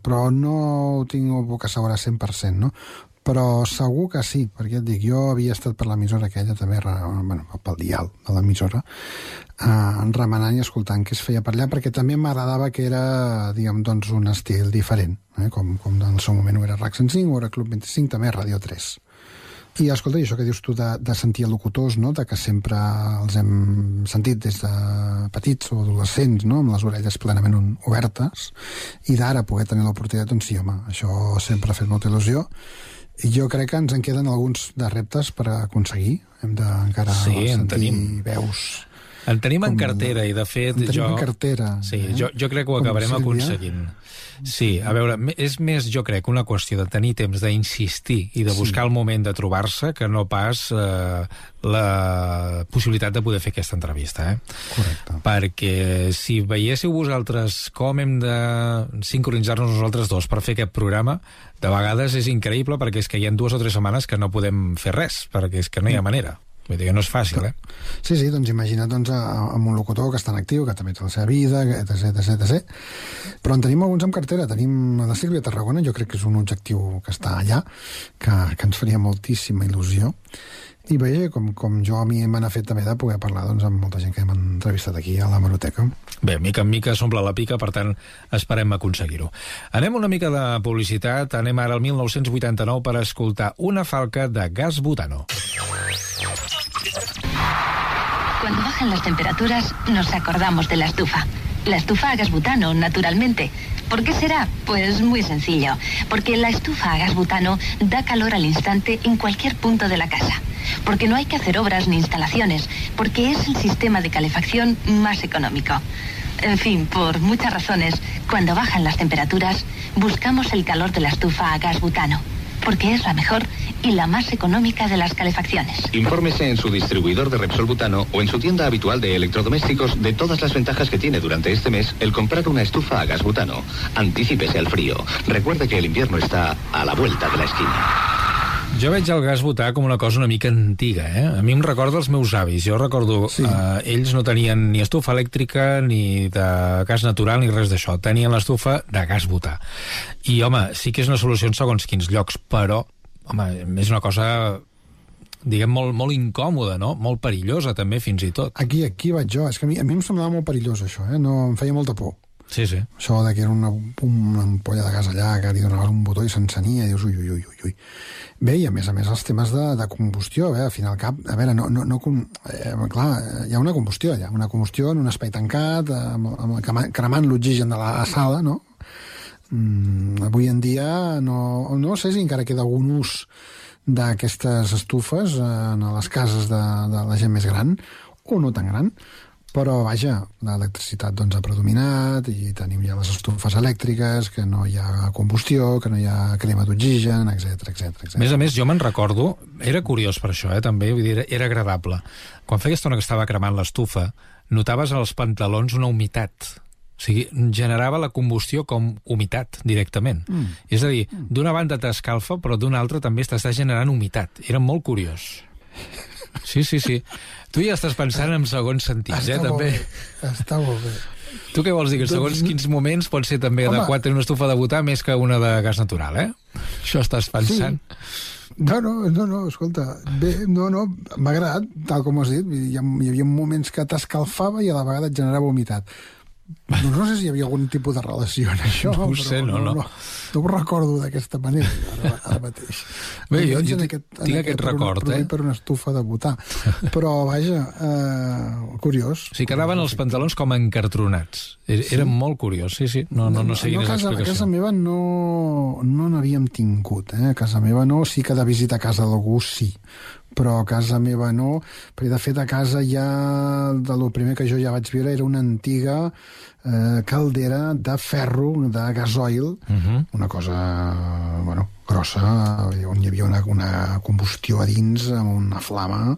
però no ho tinc que assegurar 100%, no? Però segur que sí, perquè et dic, jo havia estat per l'emissora aquella també, bueno, pel dial de l'emissora, remenant i escoltant què es feia per allà, perquè també m'agradava que era, diguem, doncs, un estil diferent, com en el seu moment ho era RAC 105 o era Club 25, també Ràdio 3. I escolta, i això que dius tu de sentir locutors, no?, de que sempre els hem sentit des de petits o adolescents, no?, amb les orelles plenament obertes, i d'ara poder tenir l'oportunitat, doncs sí, home, això sempre ha fet molta il·lusió. I jo crec que ens en queden alguns de reptes per aconseguir. Hem d'encara sentir veus. En tenim en cartera, i de fet... En tenim en cartera. Sí, jo crec que ho acabarem aconseguint. Sí, a veure, és més, jo crec, una qüestió de tenir temps d'insistir i de buscar el moment de trobar-se que no pas la possibilitat de poder fer aquesta entrevista. Correcte. Perquè si veiéssiu vosaltres com hem de sincronitzar-nos nosaltres dos per fer aquest programa, de vegades és increïble perquè és que hi ha 2 o 3 setmanes que no podem fer res, perquè és que no hi ha manera. Vull dir que no és fàcil, Sí, doncs imagina't amb un locutor que està en actiu, que també té la seva vida, etc. Però en tenim alguns en cartera. Tenim la Sílvia Tarragona, jo crec que és un objectiu que està allà, que ens faria moltíssima il·lusió. I veia com jo a mi me n'ha fet també de poder parlar amb molta gent que hem entrevistat aquí a l'Hemeroteca. Bé, mica en mica s'omple la pica, per tant, esperem aconseguir-ho. Anem una mica de publicitat, anem ara al 1989 per escoltar Una falca de Gas Butano. Cuando bajan las temperaturas, nos acordamos de la estufa. La estufa a gas butano, naturalmente. ¿Por qué será? Pues muy sencillo. Porque la estufa a gas butano da calor al instante en cualquier punto de la casa. Porque no hay que hacer obras ni instalaciones. Porque es el sistema de calefacción más económico. En fin, por muchas razones, cuando bajan las temperaturas, buscamos el calor de la estufa a gas butano. Porque es la mejor y la más económica de las calefacciones. Infórmese en su distribuidor de Repsol Butano o en su tienda habitual de electrodomésticos de todas las ventajas que tiene durante este mes el comprar una estufa a gas butano. Anticípese al frío. Recuerde que el invierno está a la vuelta de la esquina. Jo veig el gas butà com una cosa una mica antiga, A mi em recorda els meus avis. Jo recordo, ells no tenien ni estufa elèctrica, ni de gas natural, ni res d'això. Tenien l'estufa de gas butà. I, home, sí que és una solució en segons quins llocs, però, home, és una cosa, diguem, molt incòmoda, no? Molt perillosa, també, fins i tot. Aquí vaig jo. És que a mi em semblava molt perillós, això, No, em feia molta por. Sí. Això de que era una ampolla de gas allà, que li donaves un botó i s'encenia, i dius, ui. Bé, i a més els temes de combustió, al fin i al cap, a veure, clar, hi ha una combustió allà, una combustió en un espai tancat, cremant l'oxigen de la sala, no? Avui en dia no sé si encara queda algun ús d'aquestes estufes a les cases de la gent més gran, o no tan gran, però, vaja, l'electricitat ha predominat i tenim ja les estufes elèctriques, que no hi ha combustió, que no hi ha crema d'oxigen, etc. A més, jo me'n recordo, era curiós per això, també, vull dir, era agradable. Quan feia estona que estava cremant l'estufa, notaves als pantalons una humitat. O sigui, generava la combustió com humitat, directament. És a dir, d'una banda t'escalfa, però d'una altra també t'està generant humitat. Era molt curiós. Sí. Tu ja estàs pensant en segons sentits, també. Està molt bé. Tu què vols dir? Que segons quins moments pot ser també adequat tenir una estufa de butà més que una de gas natural, Això estàs pensant? Sí. No, escolta. Bé, m'ha agradat, tal com has dit. Hi havia moments que t'escalfava i a la vegada et generava humitat. No sé si hi havia algun tipus de relació en això. No ho sé, no. No ho recordo d'aquesta manera, ara mateix. Bé, jo tinc aquest record, per una estufa de botar. Però, vaja, curiós. O sigui, quedaven els pantalons com encartronats. Era molt curiós, sí. No sé quina és l'explicació. A casa meva no n'havíem tingut, A casa meva no, sí que de visita a casa d'algú sí, però a casa meva no, perquè de fet a casa ja, del primer que jo ja vaig viure era una antiga caldera de ferro, de gasoil, una cosa, grossa, on hi havia una combustió a dins, amb una flama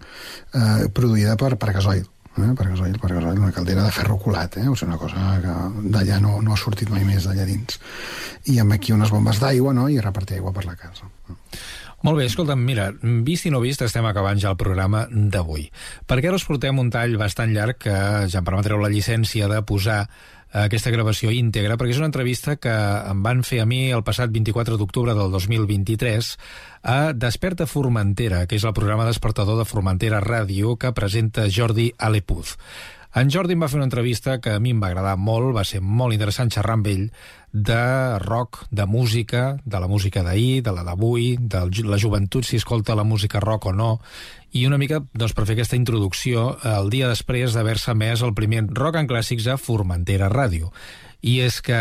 produïda per gasoil. Per gasoil, una caldera de ferro colat, o sigui, una cosa que d'allà no ha sortit mai més d'allà dins. I amb aquí unes bombes d'aigua, i repartir aigua per la casa. Molt bé, escolta'm, mira, vist i no vist, estem acabant ja el programa d'avui. Perquè ara us portem un tall bastant llarg que ja em permetreu la llicència de posar aquesta gravació íntegra, perquè és una entrevista que em van fer a mi el passat 24 d'octubre del 2023 a Desperta Formentera, que és el programa despertador de Formentera Ràdio que presenta Jordi Alepuz. En Jordi em va fer una entrevista que a mi em va agradar molt, va ser molt interessant xerrar amb ell de rock, de música, de la música d'ahir, de la d'avui, de la joventut, si escolta la música rock o no, i una mica per fer aquesta introducció el dia després d'haver-se emès el primer Rock en Clàssics a Formentera Ràdio. I és que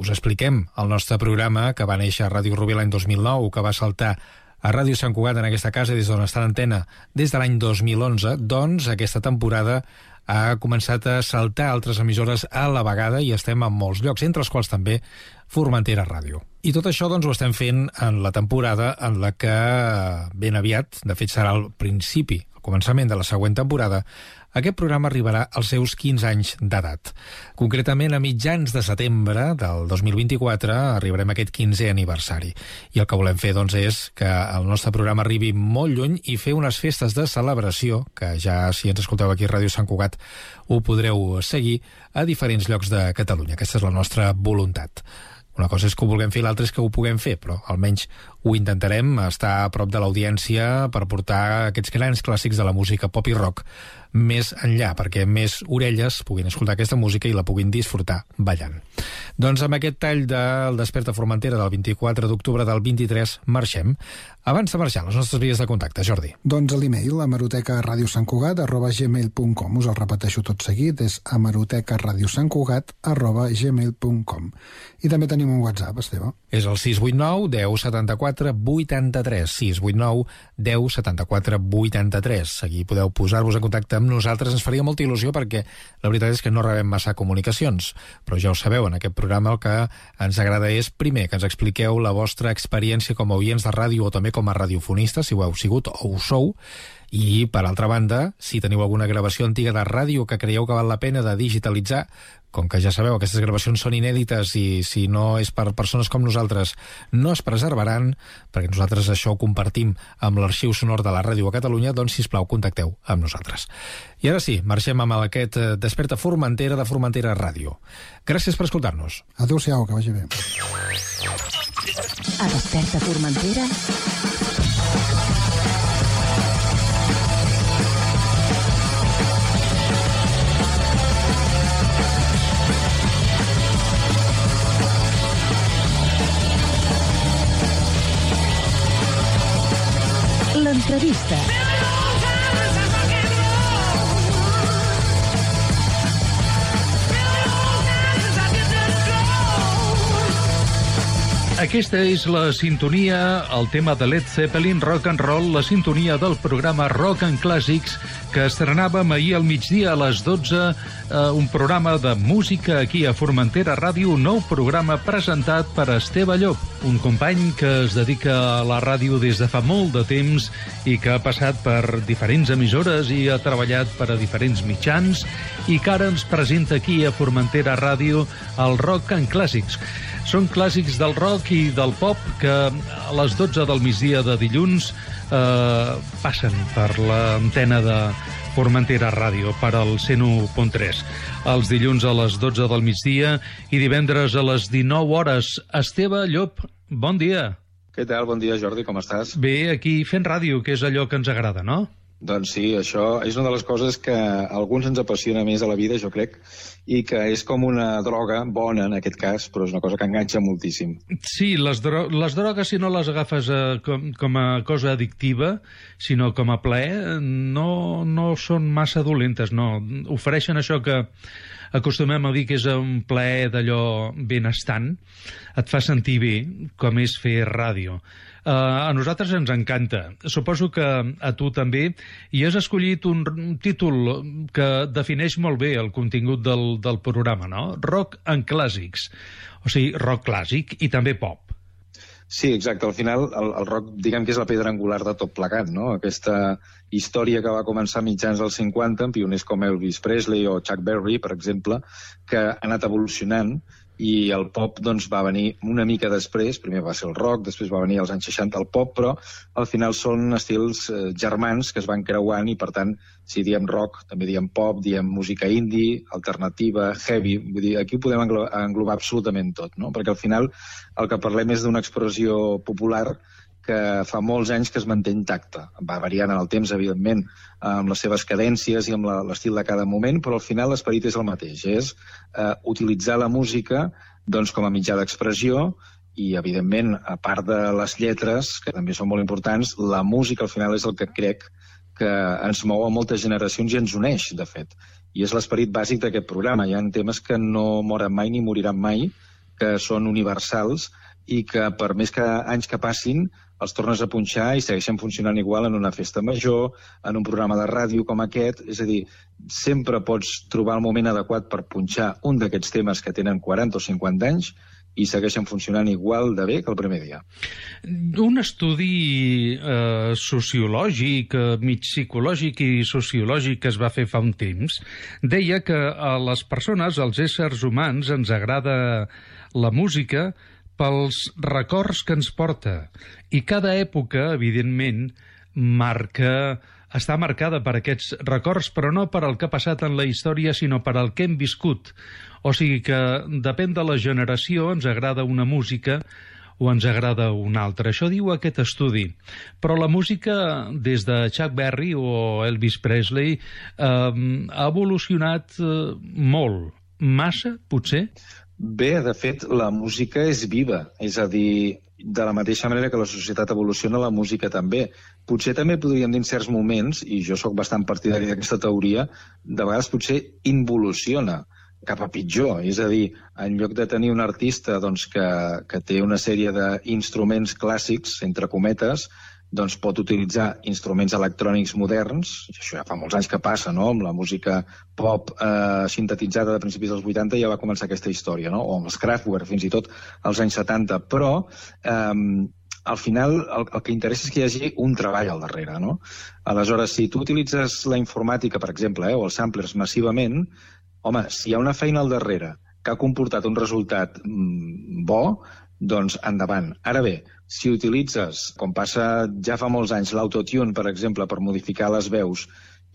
us expliquem el nostre programa, que va néixer a Ràdio Rubí l'any 2009, que va saltar a Ràdio Sant Cugat en aquesta casa des d'on està l'antena des de l'any 2011, doncs aquesta temporada ha començat a saltar altres emissores a la vegada i estem en molts llocs, entre els quals també Formentera Ràdio. I tot això doncs, ho estem fent en la temporada en la que ben aviat, de fet serà al principi, al començament de la següent temporada, aquest programa arribarà als seus 15 anys d'edat. Concretament, a mitjans de setembre del 2024 arribarem a aquest 15è aniversari. I el que volem fer, doncs, és que el nostre programa arribi molt lluny i fer unes festes de celebració, que ja, si ens escolteu aquí a Ràdio Sant Cugat, ho podreu seguir a diferents llocs de Catalunya. Aquesta és la nostra voluntat. Una cosa és que ho vulguem fer, l'altra és que ho puguem fer, però almenys ho intentarem, estar a prop de l'audiència per portar aquests grans clàssics de la música pop i rock més enllà, perquè més orelles puguin escoltar aquesta música i la puguin disfrutar ballant. Doncs amb aquest tall del Desperta Formentera del 24 d'octubre del 23 marxem. Abans de marxar, les nostres vies de contacte, Jordi. Doncs l'email, hemerotecaradiosantcugat@gmail.com. Us el repeteixo tot seguit, és hemerotecaradiosantcugat@gmail.com. I també tenim un WhatsApp, Esteve. És el 689 10 74 83, 689 10 74 83. Aquí podeu posar-vos en contacte amb nosaltres, ens faria molta il·lusió perquè la veritat és que no rebem massa comunicacions, però ja ho sabeu, en aquest programa el que ens agrada és, primer, que ens expliqueu la vostra experiència com a oients de ràdio o també com a radiofonistes, si ho heu sigut o ho sou, i, per altra banda, si teniu alguna gravació antiga de ràdio que creieu que val la pena de digitalitzar, com que ja sabeu, aquestes gravacions són inèdites i si no és per persones com nosaltres no es preservaran, perquè nosaltres això ho compartim amb l'arxiu sonor de la ràdio a Catalunya, doncs, sisplau, contacteu amb nosaltres. I ara sí, marxem amb aquest Desperta Formentera de Formentera Ràdio. Gràcies per escoltar-nos. Adéu-siau, que vagi bé. A Desperta Formentera... L'entrevista. Aquesta és la sintonia, el tema de Led Zeppelin, Rock and Roll, la sintonia del programa Rock and Clàssics, que estrenàvem ahir al migdia a les 12, un programa de música aquí a Formentera Ràdio, un nou programa presentat per Esteve Llop, un company que es dedica a la ràdio des de fa molt de temps i que ha passat per diferents emissores i ha treballat per a diferents mitjans i que ara ens presenta aquí a Formentera Ràdio el Rock and Clàssics. Són clàssics del rock i del pop que a les 12 del migdia de dilluns passen per l'antena de Formentera Ràdio, per al 101.3. Els dilluns a les 12 del migdia i divendres a les 19 hores. Esteve Llop, bon dia. Què tal? Bon dia, Jordi, com estàs? Bé, aquí fent ràdio, que és allò que ens agrada, no? Doncs sí, això és una de les coses que a alguns ens apassiona més a la vida, jo crec, i que és com una droga bona, en aquest cas, però és una cosa que enganxa moltíssim. Sí, les drogues, si no les agafes com a cosa addictiva, sinó com a plaer, no són massa dolentes, no. Ofereixen això que acostumem a dir que és un plaer d'allò benestant, et fa sentir bé, com és fer ràdio. A nosaltres ens encanta. Suposo que a tu també. I has escollit un títol que defineix molt bé el contingut del programa, no? Rock and Clàssics. O sigui, rock clàssic i també pop. Sí, exacte. Al final, el rock, diguem que és la pedra angular de tot plegat, no? Aquesta història que va començar a mitjans dels 50, amb pioners com Elvis Presley o Chuck Berry, per exemple, que ha anat evolucionant, i el pop doncs, va venir una mica després. Primer va ser el rock, després va venir als anys 60 el pop, però al final són estils germans que es van creuant i, per tant, si diem rock, també diem pop, diem música indie, alternativa, heavy. Vull dir, aquí ho podem englobar absolutament tot, no? Perquè al final el que parlem és d'una expressió popular que fa molts anys que es manté intacta. Va variant en el temps, evidentment, amb les seves cadències i amb l'estil de cada moment, però al final l'esperit és el mateix. És utilitzar la música doncs, com a mitjà d'expressió i, evidentment, a part de les lletres, que també són molt importants, la música al final és el que crec que ens mou a moltes generacions i ens uneix, de fet. I és l'esperit bàsic d'aquest programa. Hi ha temes que no moren mai ni moriran mai, que són universals i que, per més que anys que passin, els tornes a punxar i segueixen funcionant igual en una festa major, en un programa de ràdio com aquest. És a dir, sempre pots trobar el moment adequat per punxar un d'aquests temes que tenen 40 o 50 anys i segueixen funcionant igual de bé que el primer dia. Un estudi sociològic, mig psicològic i sociològic que es va fer fa un temps, deia que a les persones, als éssers humans, ens agrada la música pels records que ens porta. I cada època, evidentment, està marcada per aquests records, però no per el que ha passat en la història, sinó per el que hem viscut. O sigui que depèn de la generació, ens agrada una música o ens agrada una altra. Això diu aquest estudi. Però la música, des de Chuck Berry o Elvis Presley, ha evolucionat molt. Massa, potser? Bé, de fet, la música és viva. És a dir, de la mateixa manera que la societat evoluciona, la música també. Potser també podríem dir en certs moments, i jo sóc bastant partidari d'aquesta teoria, de vegades potser involuciona cap a pitjor. És a dir, en lloc de tenir un artista doncs, que té una sèrie d'instruments clàssics, entre cometes, doncs pot utilitzar instruments electrònics moderns, i això ja fa molts anys que passa, no? Amb la música pop sintetitzada de principis dels 80 ja va començar aquesta història, no? O amb els Kraftwerk, fins i tot als anys 70, però al final el que interessa és que hi hagi un treball al darrere, no? Aleshores, si tu utilitzes la informàtica, per exemple, o els samplers massivament, home, si hi ha una feina al darrere que ha comportat un resultat bo, doncs endavant. Ara bé, si utilitzes, com passa ja fa molts anys, l'autotune, per exemple, per modificar les veus,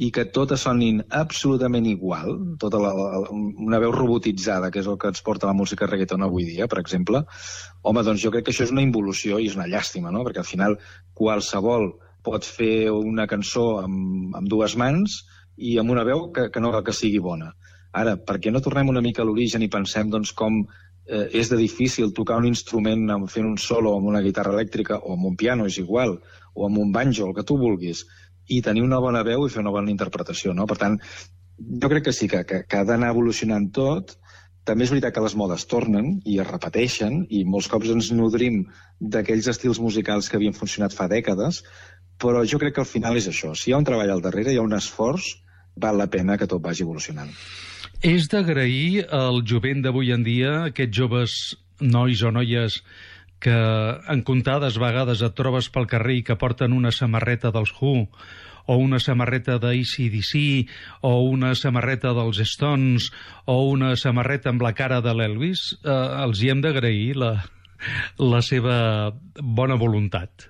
i que totes sonin absolutament igual, tota una veu robotitzada, que és el que ens porta la música reggaeton avui dia, per exemple, home, doncs jo crec que això és una involució i és una llàstima, no? Perquè al final qualsevol pot fer una cançó amb dues mans i amb una veu que no cal que sigui bona. Ara, per què no tornem una mica a l'origen i pensem doncs, com és de difícil tocar un instrument fent un solo amb una guitarra elèctrica o amb un piano, és igual, o amb un banjo, el que tu vulguis, i tenir una bona veu i fer una bona interpretació, no? Per tant, jo crec que sí, que ha d'anar evolucionant tot. També és veritat que les modes tornen i es repeteixen, i molts cops ens nodrim d'aquells estils musicals que havien funcionat fa dècades, però jo crec que al final és això. Si hi ha un treball al darrere, hi ha un esforç, val la pena que tot vagi evolucionant. És d'agrair al jovent d'avui en dia, aquests joves nois o noies que en comptades vegades et trobes pel carrer i que porten una samarreta dels Who, o una samarreta d'ACDC, o una samarreta dels Stones, o una samarreta amb la cara de l'Elvis, els hi hem d'agrair la seva bona voluntat.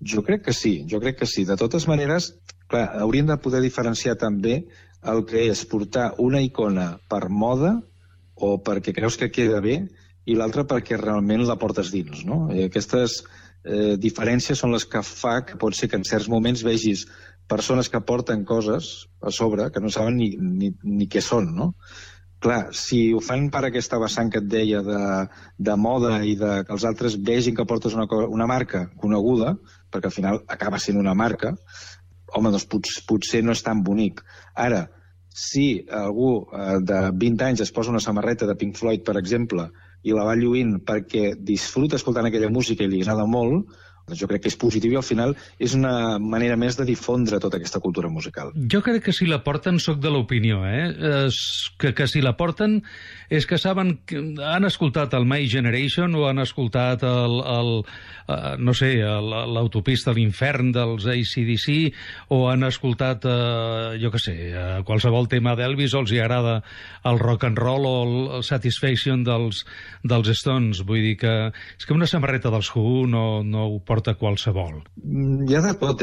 Jo crec que sí. De totes maneres, clar, hauríem de poder diferenciar també el que és portar una icona per moda o perquè creus que queda bé i l'altra perquè realment la portes dins, no? Aquestes diferències són les que fa que pot ser que en certs moments vegis persones que porten coses a sobre que no saben ni què són, no? Clar, si ho fan per aquesta vessant que et deia de moda i que els altres vegin que portes una marca coneguda, perquè al final acaba sent una marca, home, doncs potser no és tan bonic. Ara, si algú de 20 anys es posa una samarreta de Pink Floyd, per exemple, i la va lluint perquè disfruta escoltant aquella música i li agrada molt, doncs jo crec que és positiu i al final és una manera més de difondre tota aquesta cultura musical. Jo crec que si la porten, soc de l'opinió, que si la porten és que saben que han escoltat el My Generation o han escoltat l'autopista a l'infern dels AC/DC o han escoltat, jo què sé, qualsevol tema d'Elvis o els hi agrada el rock and roll o el Satisfaction dels Stones. Vull dir que és que una samarreta dels Who no ho porta qualsevol. Hi ha de tot,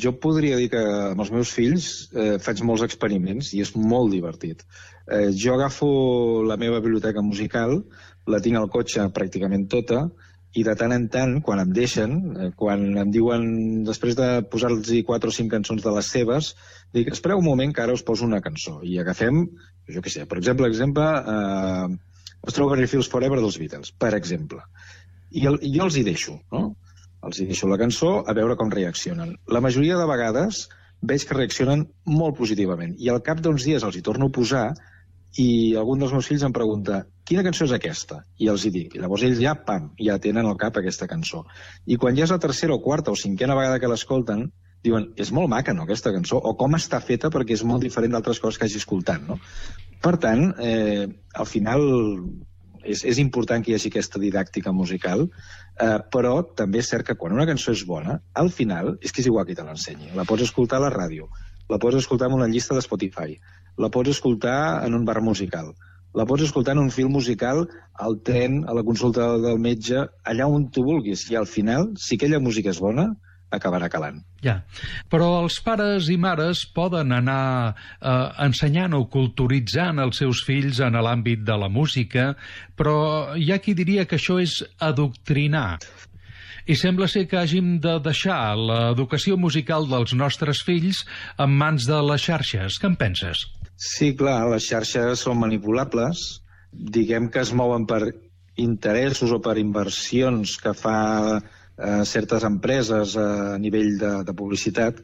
jo podria dir que amb els meus fills faig molts experiments i és molt divertit. Jo agafo la meva biblioteca musical, la tinc al cotxe pràcticament tota, i de tant en tant, quan em deixen, quan em diuen, després de posar-los 4 o 5 cançons de les seves, dic, espereu un moment que ara us poso una cançó. I agafem, jo què sé, per exemple, Strawberry Fields Forever dels Beatles, per exemple. I jo els hi deixo, no? Els hi deixo la cançó a veure com reaccionen. La majoria de vegades veig que reaccionen molt positivament i al cap d'uns dies els hi torno a posar i algun dels meus fills em pregunta quina cançó és aquesta? I els hi dic. I llavors ells ja tenen al cap aquesta cançó. I quan ja és la tercera o quarta o cinquena vegada que l'escolten, diuen, és molt maca, no, aquesta cançó? O com està feta perquè és molt diferent d'altres coses que hagi escoltat, no? Per tant, al final és important que hi hagi aquesta didàctica musical, però també és cert que quan una cançó és bona, al final és que és igual qui te l'ensenyi. La pots escoltar a la ràdio, la pots escoltar en una llista de Spotify, la pots escoltar en un bar musical, la pots escoltar en un film musical, al tren, a la consulta del metge, allà on tu vulguis. I al final, si aquella música és bona, acabarà calant. Ja, però els pares i mares poden anar ensenyant o culturitzant els seus fills en l'àmbit de la música, però hi ha qui diria que això és adoctrinar. I sembla ser que hàgim de deixar l'educació musical dels nostres fills en mans de les xarxes. Què en penses? Sí, clar, les xarxes són manipulables, diguem que es mouen per interessos o per inversions que fa certes empreses a nivell de publicitat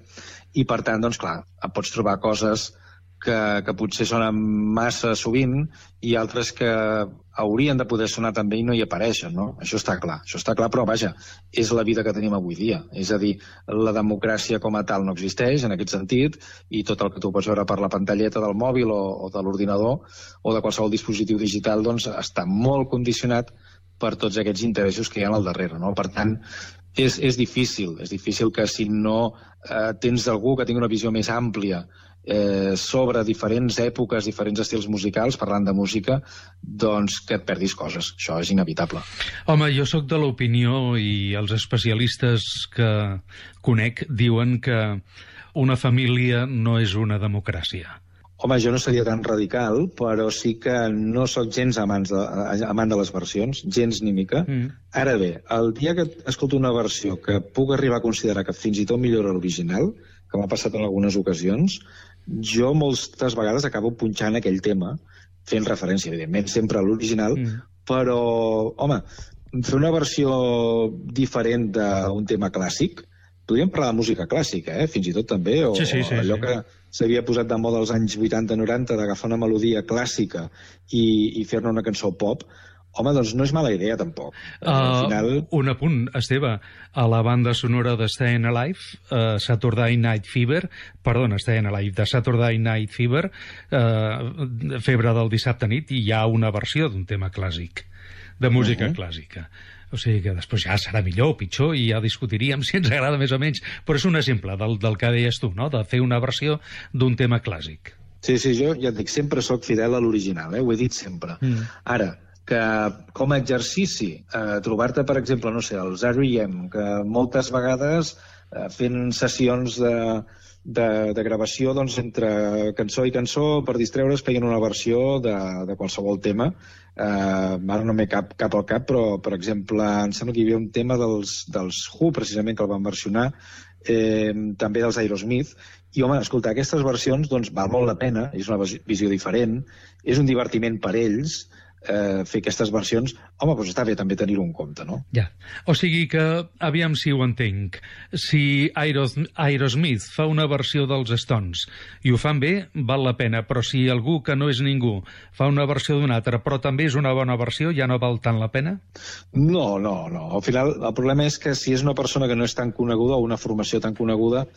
i, per tant, doncs clar, pots trobar coses que potser sonen massa sovint i altres que haurien de poder sonar també i no hi apareixen, no? Això està clar, però vaja, és la vida que tenim avui dia. És a dir, la democràcia com a tal no existeix en aquest sentit i tot el que tu pots veure per la pantalleta del mòbil o de l'ordinador o de qualsevol dispositiu digital doncs està molt condicionat per tots aquests interessos que hi ha al darrere, no? Per tant, és difícil que si no tens algú que tingui una visió més àmplia sobre diferents èpoques, diferents estils musicals, parlant de música, doncs que et perdis coses. Això és inevitable. Home, jo sóc de l'opinió i els especialistes que conec diuen que una família no és una democràcia. Home, jo no seria tan radical, però sí que no sóc gens amant de les versions, gens ni mica. Ara bé, el dia que escolto una versió que puc arribar a considerar que fins i tot millora l'original, que m'ha passat en algunes ocasions, jo moltes vegades acabo punxant aquell tema, fent referència, evidentment, sempre a l'original, però, home, fer una versió diferent d'un tema clàssic, podríem parlar de música clàssica, fins i tot també, o allò que s'havia posat de moda als anys 80-90 d'agafar una melodia clàssica i fer-ne una cançó pop, home, doncs no és mala idea, tampoc. Al final... Un apunt, Esteve, a la banda sonora de Stayin' Alive, Saturday Night Fever, de Saturday Night Fever, Febre del dissabte nit, i hi ha una versió d'un tema clàssic, de música clàssica. O sigui que després ja serà millor o pitjor i ja discutiríem si ens agrada més o menys, però és un exemple del que deies tu, no?, de fer una versió d'un tema clàssic. Sí, jo ja et dic, sempre sóc fidel a l'original, ho he dit sempre. Ara, que com a exercici, trobar-te, per exemple, no sé, els R.E.M., que moltes vegades fent sessions de gravació, doncs, entre cançó i cançó, per distreure's, feien una versió de qualsevol tema. Ara no m'he cap al cap, però, per exemple, em sembla que hi havia un tema dels Who, precisament, que el van versionar, també dels Aerosmith, i, home, escoltar aquestes versions, doncs, val molt la pena, és una visió diferent, és un divertiment per ells, fer aquestes versions, home, doncs està bé també tenir-ho en compte, no? Ja. O sigui que, aviam si ho entenc, si Aerosmith fa una versió dels Stones i ho fan bé, val la pena, però si algú que no és ningú fa una versió d'un altre, però també és una bona versió, ja no val tant la pena? No. Al final, el problema és que si és una persona que no és tan coneguda o una formació tan coneguda,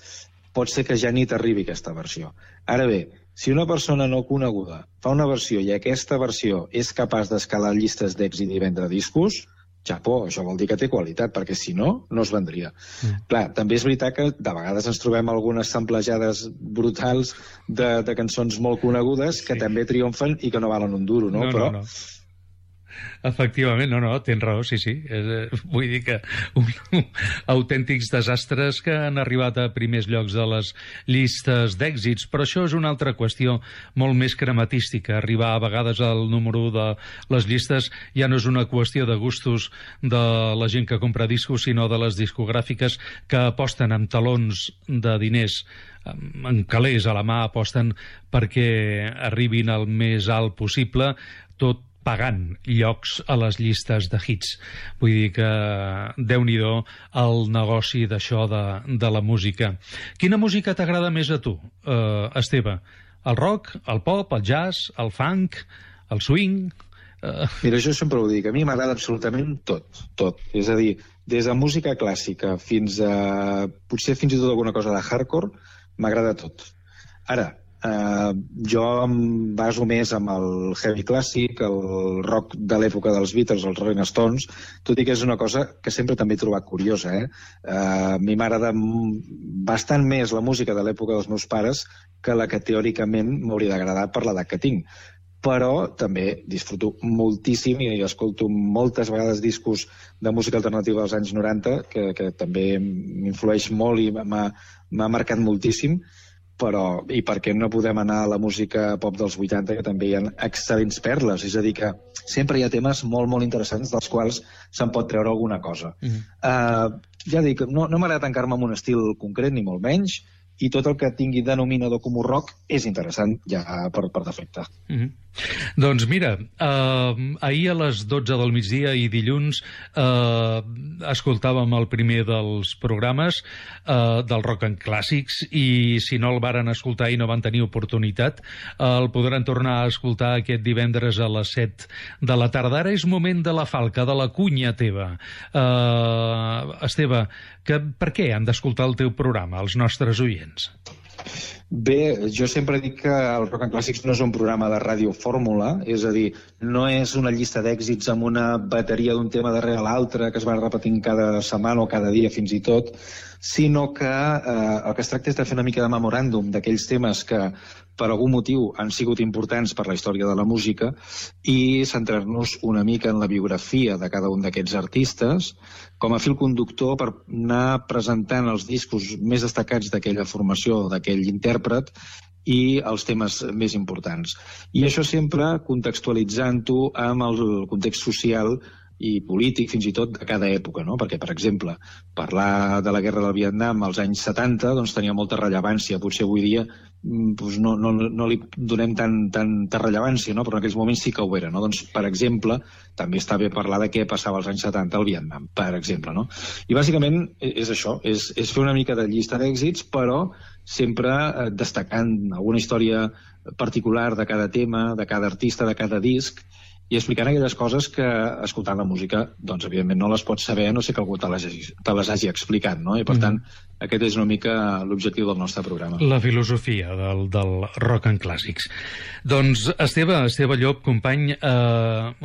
pot ser que ja ni t'arribi aquesta versió. Ara bé, si una persona no coneguda fa una versió i aquesta versió és capaç d'escalar llistes d'èxit i vendre discos, xapó, això vol dir que té qualitat, perquè si no, no es vendria. Clar, també és veritat que de vegades ens trobem algunes samplejades brutals de cançons molt conegudes que també triomfen i que no valen un duro, no? Però Efectivament, no, tens raó, sí. Vull dir que autèntics desastres que han arribat a primers llocs de les llistes d'èxits, però això és una altra qüestió molt més crematística. Arribar a vegades al número 1 de les llistes ja no és una qüestió de gustos de la gent que compra discos, sinó de les discogràfiques que aposten amb talons de diners, amb calés a la mà, aposten perquè arribin al més alt possible, tot pagant llocs a les llistes de hits. Vull dir que déu-n'hi-do el negoci d'això de la música. Quina música t'agrada més a tu, Esteve? El rock, el pop, el jazz, el funk, el swing? Mira, jo sempre ho dic, a mi m'agrada absolutament tot. És a dir, des de música clàssica fins a potser fins i tot alguna cosa de hardcore, m'agrada tot. Ara, jo em baso més amb el heavy clàssic, el rock de l'època dels Beatles, els Rolling Stones, tot i que és una cosa que sempre també he trobat curiosa. A mi m'agrada bastant més la música de l'època dels meus pares que la que teòricament m'hauria d'agradar per l'edat que tinc. Però també disfruto moltíssim i escolto moltes vegades discos de música alternativa dels anys 90, que també m'influeix molt i m'ha marcat moltíssim. Però, i per què no podem anar a la música pop dels 80, que també hi ha excel·lents perles? És a dir, que sempre hi ha temes molt, molt interessants dels quals se'n pot treure alguna cosa. Ja dic, no m'agrada tancar-me en un estil concret, ni molt menys, i tot el que tingui denominador comú rock és interessant ja per defecte. Doncs mira, ahir a les 12 del migdia i dilluns escoltàvem el primer dels programes del Rock and Clàssics, i si no el varen escoltar i no van tenir oportunitat, el podran tornar a escoltar aquest divendres a les 7 de la tarda. Ara és moment de la falca, de la cunya teva. Esteve, per què han d'escoltar el teu programa, els nostres oients? Bé, jo sempre dic que el Rock and Clàssics no és un programa de radiofórmula, és a dir, no és una llista d'èxits amb una bateria d'un tema darrere l'altre que es va repetint cada setmana o cada dia fins i tot, sinó que el que es tracta és de fer una mica de memoràndum d'aquells temes que per algun motiu han sigut importants per la història de la música i centrar-nos una mica en la biografia de cada un d'aquests artistes com a fil conductor per anar presentant els discos més destacats d'aquella formació, d'aquell intèrpret, i els temes més importants. I això sempre contextualitzant-ho amb el context social i polític, fins i tot, de cada època, no? Perquè, per exemple, parlar de la guerra del Vietnam als anys 70 doncs, tenia molta rellevància. Potser avui dia doncs, no li donem tanta rellevància, no? Però en aquells moments sí que ho era, no? Doncs, per exemple, també està bé parlar de què passava als anys 70 al Vietnam, per exemple, no? I bàsicament és això, és fer una mica de llista d'èxits, però sempre destacant alguna història particular de cada tema, de cada artista, de cada disc, i explicant aquelles coses que, escoltant la música, doncs, evidentment, no les pots saber, no sé que algú te les hagi explicat, no? I, per tant, aquest és una mica l'objectiu del nostre programa. La filosofia del Rock and Clàssics. Doncs, Esteve Llop, company,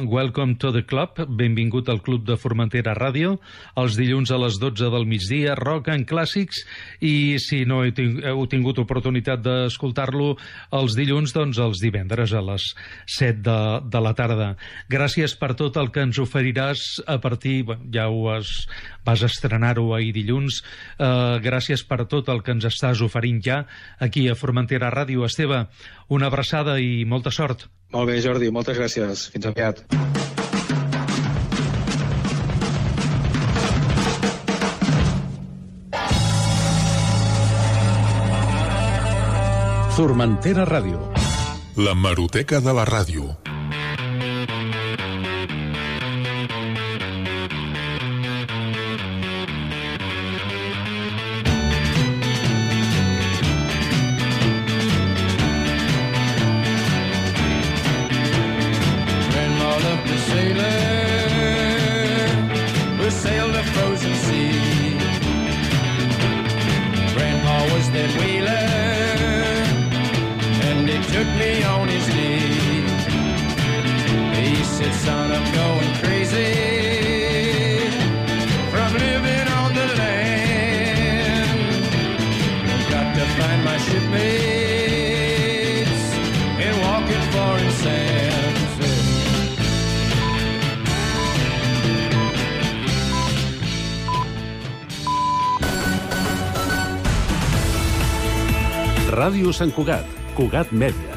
welcome to the club, benvingut al Club de Formentera Ràdio, els dilluns a les 12 del migdia, Rock and Clàssics, i si no heu tingut oportunitat d'escoltar-lo els dilluns, doncs els divendres a les 7 de la tarda. Gràcies per tot el que ens oferiràs a partir... Ja vas estrenar-ho ahir dilluns. Gràcies per tot el que ens estàs oferint ja aquí a Formentera Ràdio. Esteve, una abraçada i molta sort. Molt bé, Jordi, moltes gràcies. Fins aviat. Formentera Ràdio. La Hemeroteca de la ràdio. Grandma loved to sailor who sailed a frozen sea. Grandpa was that whaler, and he took me on his knee. He said, son, I'm going crazy from living on the land. I've got to find my shipmates and walk in foreign sands. Ràdio Sant Cugat, Cugat Mèdia.